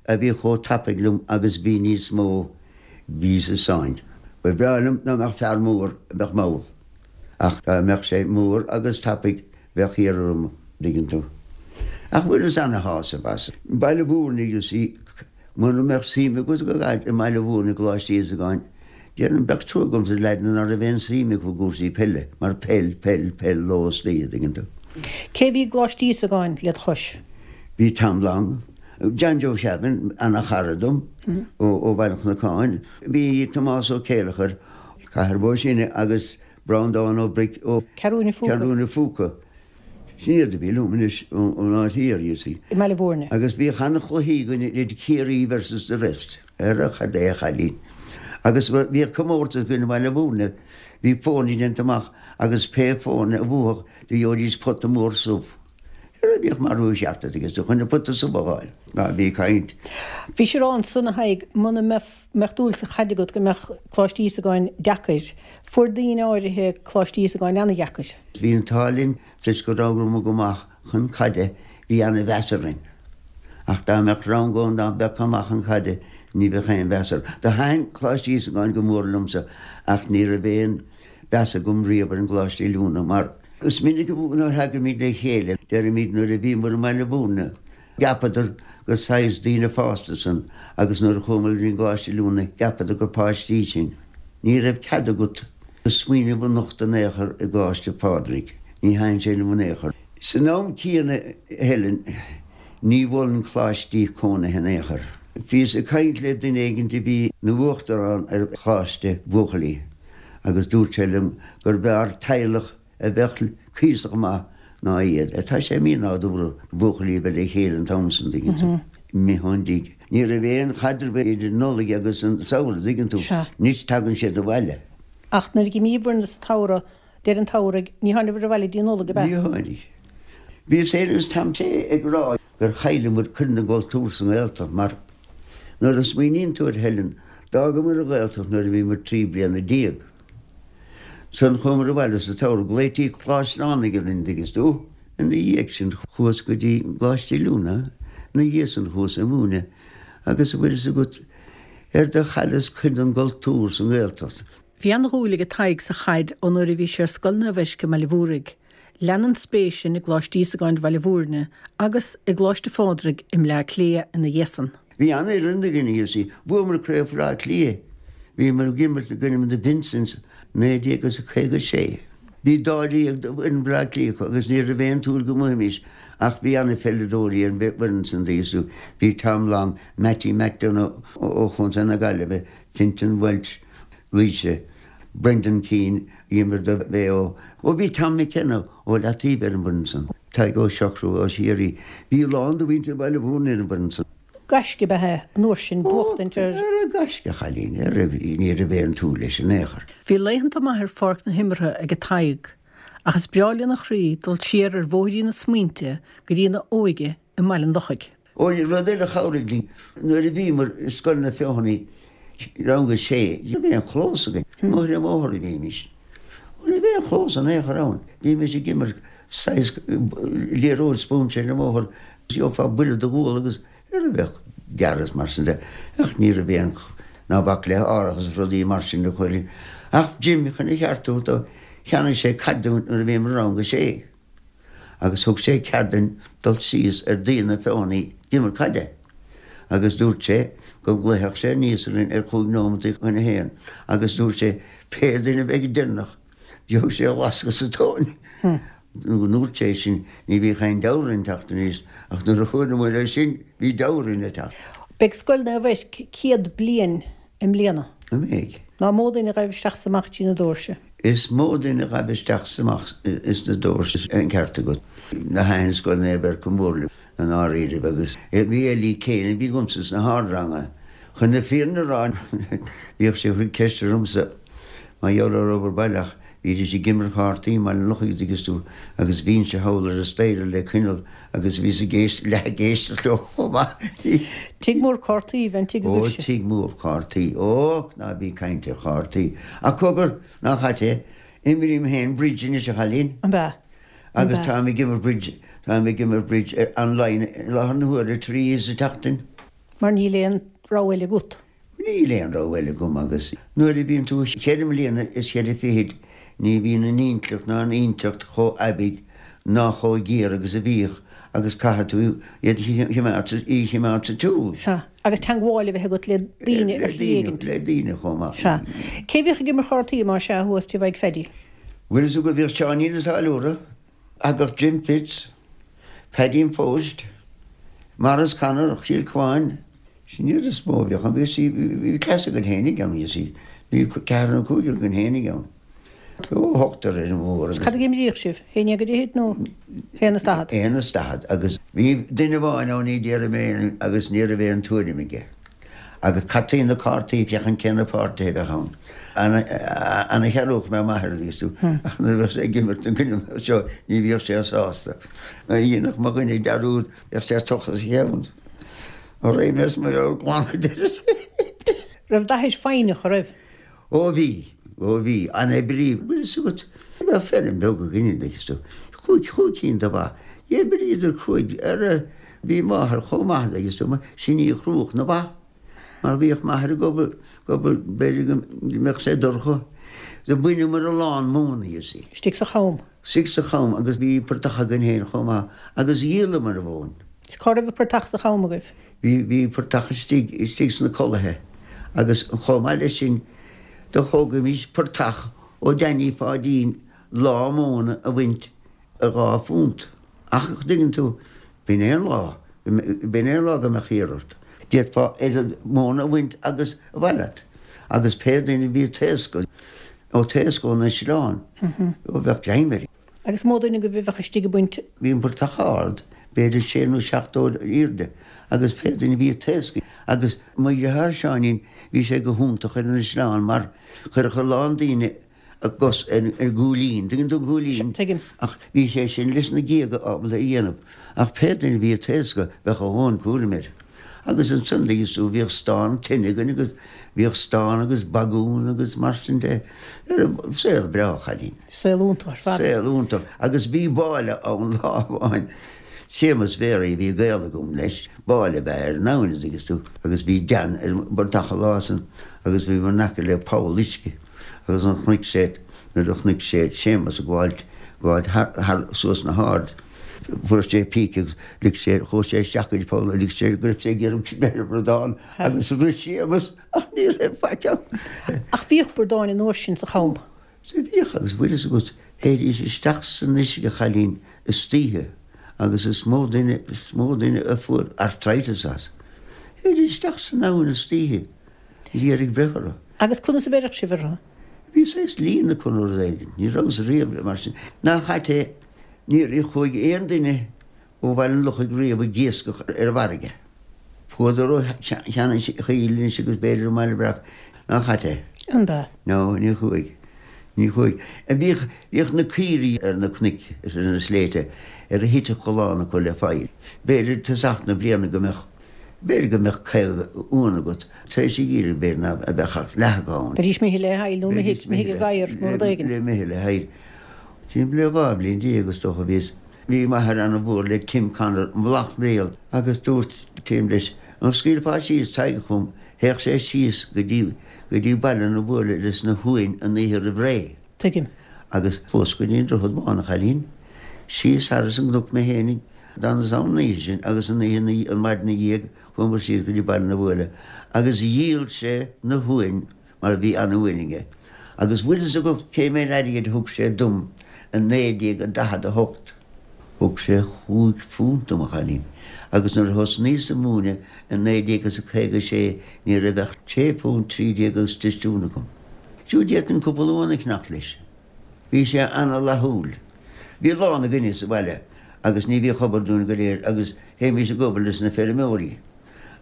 a bhí chomh tapaidh liom agus bhí níos mó, bhíos i sáinn. Ba bhreá liom dá mbeadh fear mór a bheadh mall. Ach dá mbeadh sé mór agus tapaidh, bheadh thiar orm, dtuigeann tú. Ach bhaineas ana-shásamh as. Baile Mhúirne, you see, mura mbeadh suim agat i gcaid i mBaile Mhúirne i gColáiste Íosagáin, Déarfainn, bheadh trua agam do leaideanna ná raibh aon suim acu i gcúrsaí peile, mar peil, peil, peil, ló is oíche, dtuigeann tú. Cé bhí i gColáiste Íosagáin led chois? Bhí Tom Long. John Joe Sheavin, ana-chara dom ó Bhaile an Chnocáin. Bhí Tomás Ó Céileachair, Cathair Bó Sine agus Breandán Ó Bric ó Ceathrún an Phúca. Ceathrún an Phúca. Sin iad a bhí liom anois ón áit thiar, you see. I mBaile Mhúirne. Agus bhíodh ana-chluichí againn idir Ciarraí versus the rest. Ara cad é a chailín. Agus bhíodh comórtas againn i mBaile Mhúirne. Bhí foirne déanta amach agus pé foirne a bhuafadh do gheobhaidís pota mór subh. Ara bhíodh marú cheart agat agus chun an pota subh a fháil. Ná bí ag caint. Bhís ag rá ansan a Thaidhg, muna mbeadh dúil sa chaid agat go mbeadh Coláiste Íosagáin deacair. Fuair daoine áirithe Coláiste Íosagáin ana-dheacair. Bhí an t-ádh linn toisc go rabhamar go maith chun caide, bhí ana-mheas orainn. Ach dá mbeadh rang ann ná beadh chomh maith chun caide, ní bheadh aon mheas orthu. Do thaitin Coláiste Íosagáin go mór liomsa ach ní raibh aon mheas agam riamh ar an gColáiste Oiliúna mar, Is minic nuair a thagaimid le chéile, deirimid nuair a bhíomar i mBaile Mhúirne, cheapadar gur saghas daoine fásta sinn agus nuair a chuamar go dtí an gColáiste Oiliúna, cheapadar gur páistí sinn. Ní raibh cead agat do smaoineamh a nochtadh in aon chor i gColáiste Phádraig. Ní thaitin sé liom in aon chor. San am céanna, Helen, ní mholfainn coláistí cónaithe in aon chor. Bhíos ag caint le duine éigin a bhí ina uachtarán ar choláiste buachaillí. agus dúirt sé liom gur bhfearr teaghlach a bheadh cuíosach maith ná iad. Tá sé mí-nádúrtha buachaillí a bheith le chéile an t-am san, dtuigeann tú. Imithe ón dtigh. Ní raibh aon chaidreamh idir an Nollaig agus an samhradh, dtuigeann tú. Anois tagann siad abhaile. Ach nuair a d'imíobhair sa tsamhradh, deireadh an tsamhraidh, ní tháinibhir abhaile dtí an Nollaig, ab ea? Ní tháinig. Bhíos féin agus Tom Té ag rá gur chailleamar cuid den gcultúr sa nGaeltacht mar nuair a smaoiníonn tú air Helen, d'fhágamar an Ghaeltacht nuair a bhíomar 13 bliana. Ansan chuamar abhaile sa tsamhradh, glaoití Coláiste Fhánaigh orainn, dtuigeann tú. Ina dhiaidh sin chuas go dtí an gColáiste Oiliúna, ina dhiaidh san chuas ag múineadh agus a bhfuil fhios agat ar do chailleas cuid den gcultúr sa nGaeltacht. Bhí an-dhúil ag Tadhg sa chaid ó nuair a bhí sé ar Scoil Naomh Eirc i mBaile Mhúraigh. Lean an spéis sin i gColáiste Íosagáin Bhaile Mhúirne agus i gColáiste Phádraig i mBleá Cliath ina dhiaidh san. Bhí an-fhoireann againn, you see. Bhuamar Craobh Bhaile Átha Cliath. Bhíomar ag imirt i gcoinne na Vincents 1956. Bhí dáréag d'fhoireann Bhaile Átha Cliath acu agus ní raibh aon tsúil go mbuaifimis ach bhí an-pheileadóirí ar an bhfoireann san, you see. Bhí Tom Long, Mattie McDonagh ó Chontae na Gaillimhe, Fintan Walsh, Laoise, Brendan Keane, a d'imir do Mhaigh Eo. Ó bhí Tom McKenna ó Leataoibh ar an bhfoireann san. Tadhg Ó Siochrú ó Chiarraí. Bhí a lán de mhuintir Bhaile Mhúirne ar an bhfoireann san. Gaisce ab ea é an uair sin, buachtaint ar. Ara gaisce, a chailín, ara ní raibh aon tsúil leis in aon chor. Bhí laethanta maithe ar pháirc na himeartha ag Tadhg, ach is breá lena chroí dul siar ar bhóithrín na smaointe go dtí ina óige i mBaile an Lochaigh. Ó, rud eile a chabhraigh linn, nuair a bhíomar i Scoil na Feothanaí, rang a sé, ní raibh aon chlós againn. Amuigh ar an mbóthar a bhímis. Ó, ní raibh aon chlós in aon chor ann. Bhímis ag imirt saghas liathróid spúinse ar an mbóthar, gheofá buille do ghual agus ar a bheadh gearradh is mar sin de. Ach ní raibh aon, ná bac le árachas is rudaí mar sin a chur. Ach Jim, chun a cheartú, do cheannaigh sé caid dúinn nuair a bhíomar i rang a sé. agus thug sé cead duinn dul síos ar Dún na Feothanaí d'imirt caide agus dúirt sé go nglaofadh sé aníos orainn ar chúig nóimeataí chun a haon agus dúirt sé pé duine a bheidh deireanach gheobhaidh sé lascadh sa tóin. Nuair a dúirt sé sin ní bhíodh aon deabhradh orainn teacht aníos ach nuair a chuala muid é sin bhí deabhradh orainn a teacht. Beidh Scoil Naomh Eirc 100 bliain i mbliana. An mbeidh? Ná mó duine a ghaibh isteach 's amach trí na dóirse. Is mó duine a ghaibh isteach 's amach ins na dóirse, an ceart agat. Thaitin Scoil Naomh Eirc go mór liom i ndáiríribh agus bhí Ellie Kane a bhí agamsa sna hardranganna. Chun na fírinne a rá bhíodh sí ag cur ceiste ormsa mar gheall ar obair baile ach bhídís ag imirt chártaí i mBaile an Lochaigh an dtuigeann tú agus bhínnse thall ar an staighre le coinneal Agus bhíos ag éist, leath ag éisteacht leo chomh maith. Tigh mór cártaí a bhí an tigh Ó, agaibhse. tigh mór cártaí. Ó, ná bí ag caint ar chártaí. Ach cogar, nach ait é, imrím féin bridge anois, a chailín. An ea? An Agus ea? táim ag imirt bridge, táim ag imirt bridge ar online i láthair na huaire, trí oíche sa tseachtain. Mar níl aon rogha eile agat. Níl aon rogha eile agam agus nuair a bhíonn tú cheithre mbliana is cheithre fichid ní bhíonn an intleacht ná an inteacht chomh aibidh ná chomh géar agus a bhíodh agus caithfidh tú iad a chimeád sa, í a chimeád sa tsiúl. Sea. Agus teangmháil a bheith agat le daoine ar shlí éigint. Le daoine chomh maith. Sea. Cé a bhíodh ag imirt chártaí más ea thuas tigh Mhaidhc Pheaidí? Bhfuil fhios agat bhíodh Seáinín an Táilliúra, thagadh Jim Fitz, Paddy an Phoist. Maurice Connor, Chill Cuáin. Sin iad is mó a bhíodh ann. Bhí, bhí cleas againn fhéinig ann, you see. Bhí ceathrar nó cúigear againn fhéinig ann. Ó, ochtar ar an mhór agus. Cad a d'imríodh sibh? Haon dhéag a d'fhichid nó haon is daichead? Aon is daichead agus bhí duine amháin ann ní déarfaidh mé agus ní raibh aon tuairim aige. Agus caití na cártaí féachaint cé na páirtithe a bheadh ann. Ana-chearúch mé m'athair agus tú ach nuair a bheadh sé ag imirt an gcoinne seo ní bhíodh sé sásta. Dhéanfadh mo dhuine dearúd bheadh sé ag tochas a cheann. Raghaidh mé as mo mheabhair glan a deir sé. Raibh d'athair foighneach, a raibh? Ó bhí, ó bhí, an-oibrí. Bhfuil fhios agat, bheadh feirm bheag againne anois is chúig, chúig cinn de bha. D'oibríodar cúig, ar, bhí máthair chomh maith le, is sin í a chrúdh na ba. Mar bhíodh m'athair ag obair, ag obair, b'fhéidir go mbeadh sé dorcha. Do bhaineamar a lán móna, you see. Istigh sa cham. Istigh sa cham agus bhí portach againn féin chomh maith agus dhíolamar an mhóin. Is cá raibh an portach sa cham agaibh? Bhí, bhí portach istigh, istigh sna culaithe agus chomh maith leis sin do thógaimis portach ó Danny Pháidín lá móna a bhaint ar dhá phunt. Ach, dtuigeann tú, b'in é an lá, b'in é an lá go mbeadh iarraidh ort. D'fhéadfá oiread móna a bhaint agus ba mhaith leat. Agus pé duine a bhí ag taoscadh, ó taoscadh ón eitleán, ó bheadh greim air. Agus mó duine agaibh a bheadh istigh ag baint? Bhí an portach ard, b'fhéidir sé nó seacht dtroithe airde, agus pé duine a bhí ag taoscadh, agus mo dheartháir Seáinín, bhí sé go hiontach ar an eitleán mar chuirfeadh a lán daoine a gcos ar an gcúilín, tuigeann tú an cúilín? Tuigim. Ach bhí sé sin leis na géaga ábalta a dhéanamh. Ach pé duine a bhí ag taoscadh, bheadh a dhóthain cúraim air. Agus ansan ligeas tú, bhíodh stán tine againn agus bhíodh stán agus bagún agus mar sin de. Saol breá, a chailín. Saol iontach ar fad. Saol iontach. Agus bhí báille ann lá amháin, Séamus Mhéaraí, bhí gaol agam leis, báille ab ea ar an abhainn, a dtuigeas tú, agus bhí Dan ar an bportach an lá san agus bhíomar in aice le poll uisce. Agus nuair a chonaic sé, nuair a chonaic sé Séamus ag gabháilt, gabháilt thar, thar, suas na hard, fuair sé píce agus lig sé, chuaigh sé isteach go dtí poll, lig sé go raibh sé ag iarraidh breith ar bhradán agus rith Séamus ach ní raibh faic ann. Ach bhíodh bradáin an uair sin sa cham. Sea bhíodh agus bhfuil fhios agat, théidís isteach san uisce a chailín istoíche agus is mó duine, is mó duine a fuair arthritis as. Théidís isteach san abhainn istoíche. Ag iarraidh breith orthu. Agus conas a bheireadh sibh orthu? Bhí saghas líon acu nó rud éigin. Ní rabhas riamh mar sin. Ná chaite, níor chuaigh aon duine ó Bhaile an Lochaigh riamh ag iascach ar an bhfarraige. Chuadar ó Cheann an Chaoil anois agus b'fhéidir i mBaile Breac. Ná chaite? An b'ea? No, ní chuaigh. Ní chuaigh. Bhíodh, bhíodh na caoirigh ar na cnoic is ar na sléibhte ar a thitfeadh a lán acu le faill. B'fhéidir tosach na bliana go mbeadh B'fhéidir go mbeadh 50 uan agat tar éis an gheimhridh, b'fhéidir ná beadh ach leath acu ann. Bheidís imithe le haill nó imithe ag gadhair nó rud éigin. Le imithe le haill. Timpeall le 12 bhliain is dócha a bhíos. Bhí m'athair ana-mhór le Tim Connor i mBealach Néill agus dúirt Tim leis, An scaoilfeá síos Tadhg chugam? Théadh sé síos go dtí go dtí Baile na Buaile leis na huain an oíche roimh ré. Tuigim. Agus chuas go dtí an Droichead Bán, a chailín. Síos thar an gcnoc mé fhéinig. D'fhanas ann an oíche sin agus an oíche ina an mhaidin ina dhiaidh chuamar síos go dtí Baile na Buaile agus dhíol sé na huain mar bhí ana-uain aige. Agus bhfuil fhios agat cé méid airgid a thug sé dom i 1948? Thug sé chúig phunt dom, a chailín. Agus nuair a thosnaíos ag múineadh i 1956 ní raibh ach sé phunt 13 agus tostún agam. Siúd d'fhéadfainn cúpla uan a cheannacht leis. Bhí sé ana-fhlaithiúil. Bhí a lán againne sa bhaile agus ní bhíodh obair dúinn go léir agus théimis ag obair leis na feirmeoirí.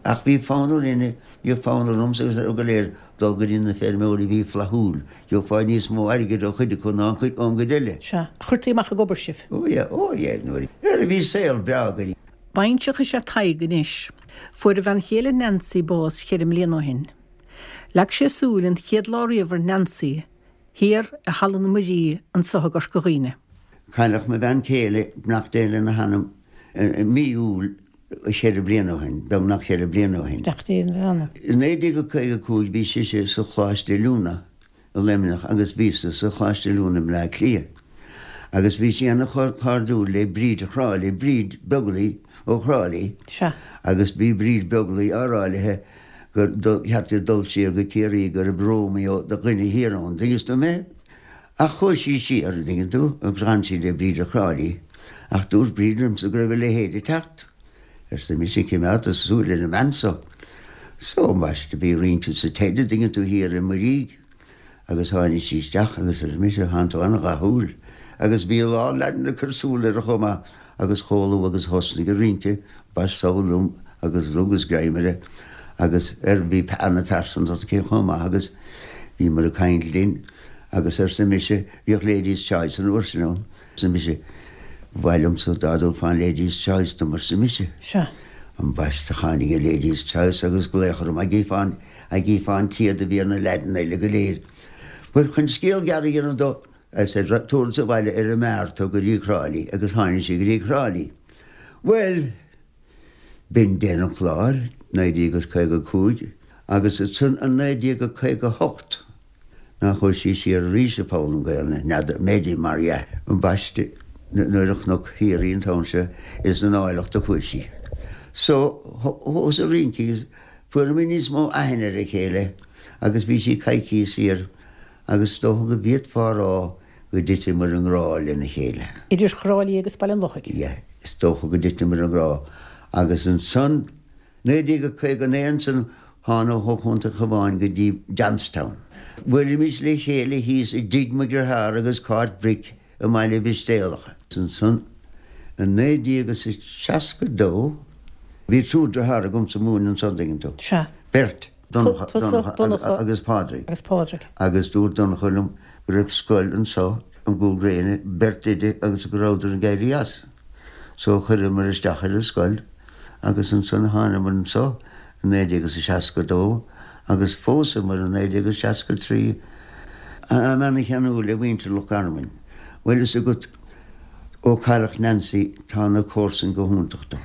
Ach bhí fonn orainne, bhí fonn ormsa agus orthu go léir dul go dtí na feirmeoirí a bhí flaithiúil. Gheofá níos mó airgid ó chuid acu ná ón gcuid eile. Sea. Chuirtí amach ag obair sibh. Ó yeah, ó yeah, nuair a bhí saol breá againn. Baintreach is ea Tadhg anois. Fuair a bhean chéile Nancy bás cheithre mbliana ó shin. Leag sé súil an chéad lá riamh ar Nancy thiar i Halla na Muirí anso i gCorca Dhuibhne. Cailleadh mo bhean chéile, beannacht Dé lena hanam, i mí Iúil cheithre bliana ó shin, beagnach cheithre bliana ó shin. Beannacht Dé lena hanam. I 1955 bhí sise sa Choláiste Oiliúna i Luimneach agus bhíos-sa sa Choláiste Oiliúna i mBleá Cliath. Agus bhí sí ana-chairdiúil le Bríd Chráilí, Bríd Beaglaoi ó Chráilí. Sea. Agus bhí Bríd Beaglaoi á rá léithe gur cheart di dul siar go Ciarraí go raibh Romeo de dhuine thiar ann, dtuigeann tú mé? Ach chuaigh sí siar, an dtuigeann tú, agus d'fhan sí le Bríd a' Chráilí. Ach dúirt Bríd liomsa go raibh a leithéid ag teacht. Arsa mise, Coimeád do shúil ar an mbean so. So, ambaiste, bhí rince sa Ted a' dtuigeann tú thiar i Muirígh agus tháinig sí isteach agus arsa mise, Thánn tú ana-dhathúil. Agus bhí a lán leaideanna ag cur súil uirthi chomh maith agus chomh luath agus a thosnaigh a' rince, ambaiste liom agus rugas greim uirthi agus ar bhí ana-phearsantacht aici chomh maith agus bhíomar ag caint linn agus arsa mise, bhíodh Ladies Choice an uair sin ann. Arsa mise, Ba mhaith liomsa dá dtabharfá an Ladies Choice dom, arsa mise. Sea. Ambaiste tháinig an Ladies Choice agus glaoch orm a gcífeá, a gcífeá an téad a bhí ar na leaideanna eile go léir. Bhuel, chun scéal gearr a dhéanamh dó, I said, tabharfadsa abhaile ar an mbeár tú go dtí Trá Lí agus tháinig sí go dtí Trá Lí. Bhuel, b'in deireadh an chláir, 1955, agus ansan i 1958, Nach chuaigh sí siar arís ag foghlaim Gaelainne, n'fheadar, b'fhéidir, mar dhea. Ambaiste, nuair a chonac thiar í an t-am seo, is in áilleacht a chuaigh sí. So, thosaigh rince agus fuaireamar níos mó aithne ar a chéile agus bhí sí coicíos siar agus is dócha go bhféadfá a rá go dtiteamar i ngrá lena chéile. Idir Thrá Lí agus Baile an Lochaigh. Yeah, is dócha go dtiteamar i ngrá agus ansan, 1959 ansan thána ó Chontae an Chabháin go dtí Johnstown. Bhuailimis le chéile thíos i dtigh mo dhritheár agus Cáit Bric i mBaile Mhistéalach. Ansan i 1962 bhí triúr dritheár agamsa ag múineadh ansan, dtuigeann tú. Sea. Beirt, Donncha, Tusa, Donncha agus Pádraig. Agus Pádraig. Agus dúirt Donncha liom go raibh scoil anso i gCúil Gréine, beirt oide agus go rabhadar ag éirí as. So chuireamar isteach ar an scoil. agus ansan thánamar anso i 1962 agus phósamar i 1963. Táim ana-cheanúil ar mhuintir Loch Garman. Bhfuil fhios agat ó cailleadh Nancy tá na comharsain go hiontach dom.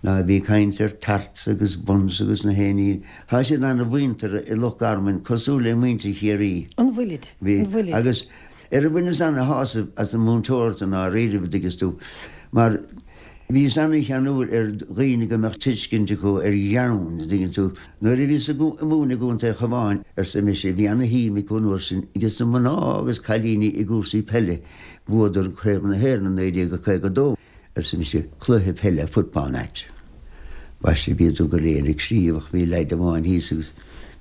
Ná bí ag caint ar tarts agus buns agus na héinní, tá siad ana-mhuinteartha i Loch Garman cosúil le muintir Chiarraí. An bhfuilid? Bhí. An bhfuilid? Agus Ar a bhaineas ana-shásamh as an múinteoireacht i ndáiríribh, a dtuigeas tú, mar bhíos ana-cheanúil ar dhaoine go mbeadh tuiscint acu ar gheann, a dtuigeann tú. Nuair a bhíos ag múineadh i gContae an Chabháin, arsa mise, bhí ana-shuim acu an uair sin ages na mná agus cailíní i gcúrsaí peile, bhuadar Craobh na hÉireann i 1952. arsa mise, cluiche peile, football match. Ambaiste bhíodar go léir ag scríobh ach bhí leaid amháin thíos agus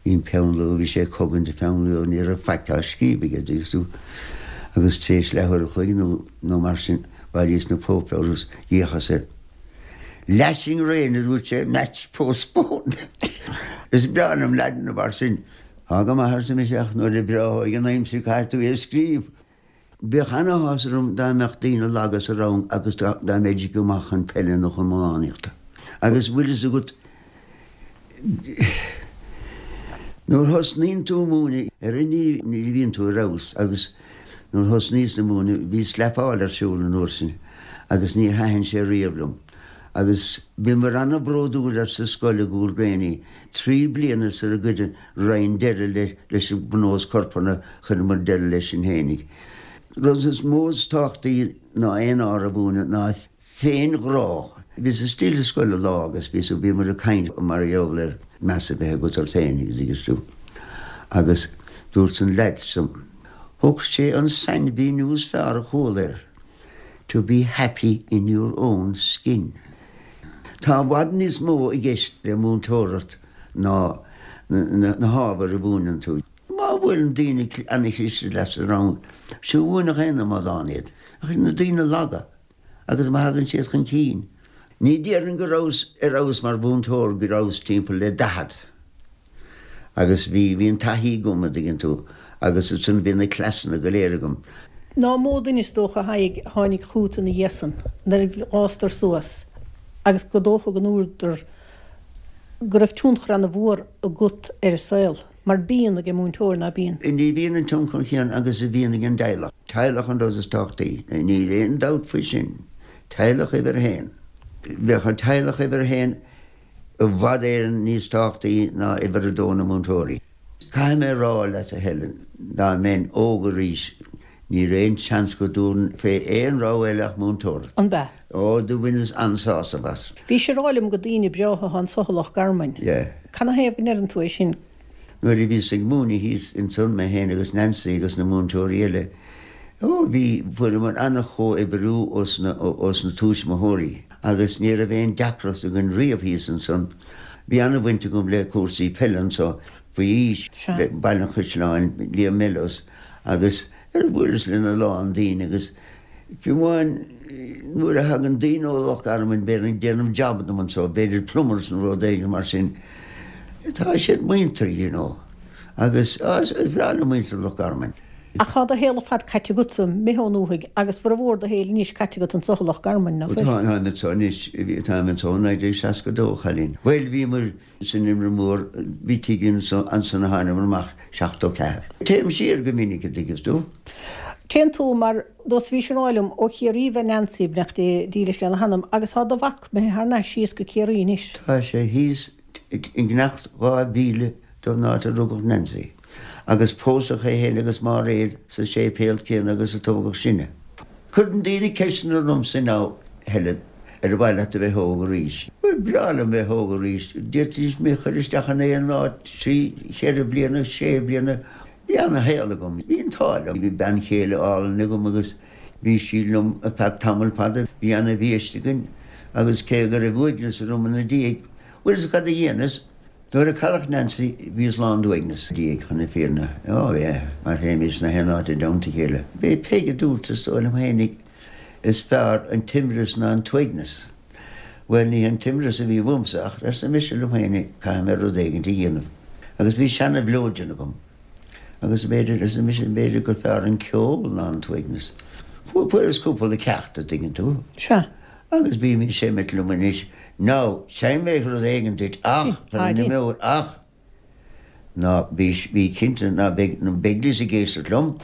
bhí an peann luaidhe, bhí sé ag cogaint an pheann luaidhe, ní raibh faic á scríobh aige, dtuigeas tú. Agus tar éis leathuair a chloig nó nó mar sin bhailíos na páipéir agus d'fhéachas air. Lashing rain, a dúirt sé, match postponed. Is breá liom leaideanna mar sin. Tá go maith, arsa mise, ach nuair a breáthóidh an aimsir caithfidh tú é a scríobh. Bheadh ana-shásamh orm dá mbeadh daoine laga sa rang agus dá mbeidís go maith chun peile nó chun iománaíochta. Agus bhfuil fhios agat, nuair thosnaíonn tú ag múineadh, ar aon ní ní bhíonn tú ar fheabhas agus nuair thosnaíos ag múineadh bhí slapáil ar siúl an uair sin agus níor thaitin sé riamh liom. Agus bhíomar ana-bhródúil as an scoil i gCúil Gréine 3 bliana sar a gcuireadh Roinn deireadh leis an bpionós corpartha, chuireamar deireadh leis sin fhéinig. Rud is mó is tábhachtaí ná aon ábhar a mhúineadh ná féin-ghrá. Bhíos istigh sa scoil lá agus bhíos, bhíomar ag caint mar gheall ar meas a bheith agat ort féin agus tú. Agus dúirt an leaid so, thug sé an sainmhíniú is fearr a chuala air, to be happy in your own skin. Tá i bhfad níos mó i gceist le múinteoireacht ná na hábhair a mhúineann tú. Má bhuaileann daoine ana-chliste leat sa rang, sea mhúinfeadh aon amadán iad, ach na daoine laga, agus má thagann siad chun cinn. Ní déarfainn go rabhas ar fheabhas mar mhúinteoir go rabhas timpeall le 40 agus bhí, bhí an taithí agam, a dtuigeann tú, agus ansan bhí na cleasanna go léir agam. Ná mó duine is dócha a Thaidhg a tháinig chugat ina dhiaidh san nuair a dh'fhástar suas agus gur dócha go ndúradar go raibh tionchar ana mhór agat ar a saol, mar bíonn ag an múinteoir, ná bíonn? Ní bhíonn an tionchar chéanna agus a bhíonn ag an dteaghlach. Teaghlach an rud is tábhachtaí, níl aon dabht faoi sin. Teaghlach uimhir a haon. Bheadh an teaghlach uimhir a haon i bhfad Éireann níos tábhachtaí ná uimhir a dó na múinteoirí. Caithfidh mé a rá leat a Helen, dá mbeinn óg arís, Ní raibh aon seans go dtabharfainn fé aon rogha eile ach múinteoireacht. An b'ea? Ó, do bhaineas an-sásamh as. Bhís ag rá liom gur daoine breátha atá anso i Loch Garman. Yeah. Canathaobh go ndeireann tú é sin? Nuair a bhíos ag múineadh thíos ansan, mé féin agus Nancy agus na múinteoirí eile, ó, bhí, fuaireamar an-chomhoibriú ós na, ós na tuismitheoirí. agus ní raibh aon deacracht againn riamh thíos ansan. Bhí ana-bhaint agam le cúrsaí peile anso faoi aois, le Baile an Chaisleáin, Liam Mellows agus bhuaileas lena lán daoine agus fiú amháin nuair a thagann daoine ó Loch Garman b'fhéidir ag déanamh jab dom anso, b'fhéidir plumbers nó rud éigin mar sin, tá siad muinteartha, you know, agus is breá liom muintir Loch Garman. Ach tá do shaol ar fad caite agatsa, imithe ón ndúthaigh agus formhór do shaoil anois caite agat anso i Loch Garman, ná fuil? Táim anso anois, táim anso ó 1962, a chailín. Bhuel, bhíomar san Inbhear Mór, bhí tigh anso, ansan a thánamar amach 74. Téim siar go minic, a dtuigeas tú. Téann tú, mar dos bhís ag rá liom, ó Chiarraí ab ea Nancy, beannacht Dé dílis lena hanam, agus tá do mhac imithe thar n-ais síos go Ciarraí anois. Tá sé thíos i ngeannacht 2000 don áit a rugadh Nancy, agus pósadh é féin agus Máiréad sa séipéal céanna agus a tógadh sinne. Cuireann daoine ceisteanna ormsa now, Helen, ar mhaith leat a bheith óg arís? Ba bhreá liom bheith óg arís. D'fhéadfaidís mé a chur isteach in aon áit trí, cheithre bliana, sé bliana. Bhí ana-shaol agam. Bhí an t-ádh liom. Bhí bean chéile álainn agam agus bhí sí liom ar feadh tamall fada. Bhí ana-bhiaiste againn agus cé go raibh uaigneas orm ina diaidh, bhfuil 'fhios cad a dhéanas? Nuair a cailleadh Nancy, bhíos lán d'uaigneas diaidh, chun na fírinne. Ó, yeah, mar théimis 'na haon áit i dteannta a chéile. B'é Peig a dúirt, is dóigh liom fhéinig, is fearr an t-imreas ná an t-uaigneas. Bhuel, ní hé an t-imreas a bhí uaimse, ach arsa mise liom féinig, caithfidh mé rud éigint a dhéanamh. Agus bhí seana-mhileoidean agam. Agus b'fhéidir, arsa mise, b'fhéidir gur fearr an ceol ná an t-uaigneas. Fuaireas cúpla ceacht, a dtuigeann tú. Sea. Agus bím ag seimint liom anois. Now, seinnfidh mé rud éigin duit ach, tar ina meabhair, ach ná bí, bí cinnte ná beidh na Begleys ag éisteacht liom,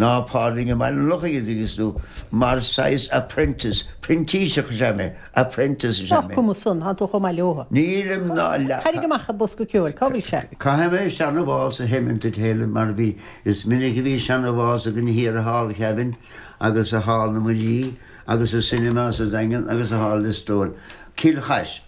ná Pádraig i mBaile an Lochaigh, a dtuigeas tú, mar saghas apprentice, printíseach is ea mé, apprentice is ea mé. Nach cuma san, tánn tú chomh maith leotha. Nílim ná leath. Tarraing amach an bosca ceoil, cá bhfuil sé? Caithfidh mé seana-válsa a sheimint duit, Helen, mar bhí, is minic a bhí seana-válsa againn thiar i Hall Kevin agus i Hall na Muirí, agus sa Cinema sa Daingean agus i Hall Listowel, Cill Chais.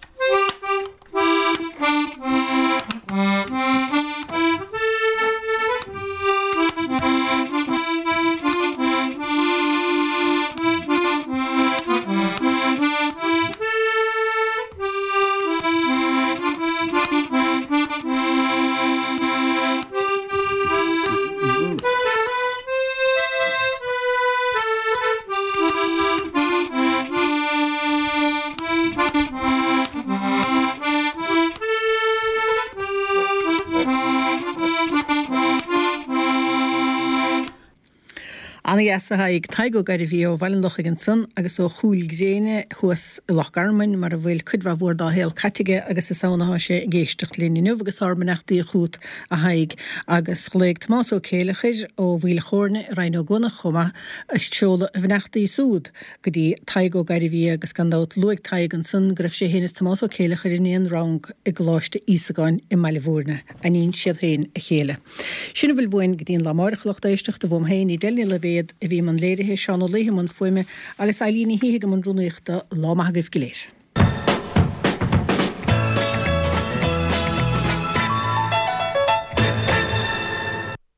Ana-dheas a Thaidhg. Tadhg Ó Gairbhí ó Bhaile an Lochaigh ansan agus ó Chúil Gréine thuas i Loch Garman mar a bhfuil cuid mhaith mhór dá shaol caite aige agus is ann atá sé ag éisteacht linn inniu agus ár mbeannachtaí chugat a Thaidhg. Agus ghlaoigh Tomás Ó Céileachair ó Mhaoil Chóirne i Rinn Ó gCuanach chomh maith ag seoladh a bheannachtaí súd go dtí Tadhg Ó Gairbhí agus gan dabht luaigh Tadhg ansan go raibh sé féin is Tomás Ó Céileachair in aon rang i gColáiste Íosagáin i mBaile Bhúirne. Aithníonn siad féin a chéile. Sin a bhfuil uainn go dtí an lá amáireach a lucht éisteachta, uaim féin, Edel Ní Loibhéad a bhí i mbun léirithe, Seán Ó Laoithe i mbun fuaime agus Eilín Ní Shíthigh i mbun rúnaíochta. Lá maith agaibh go léir.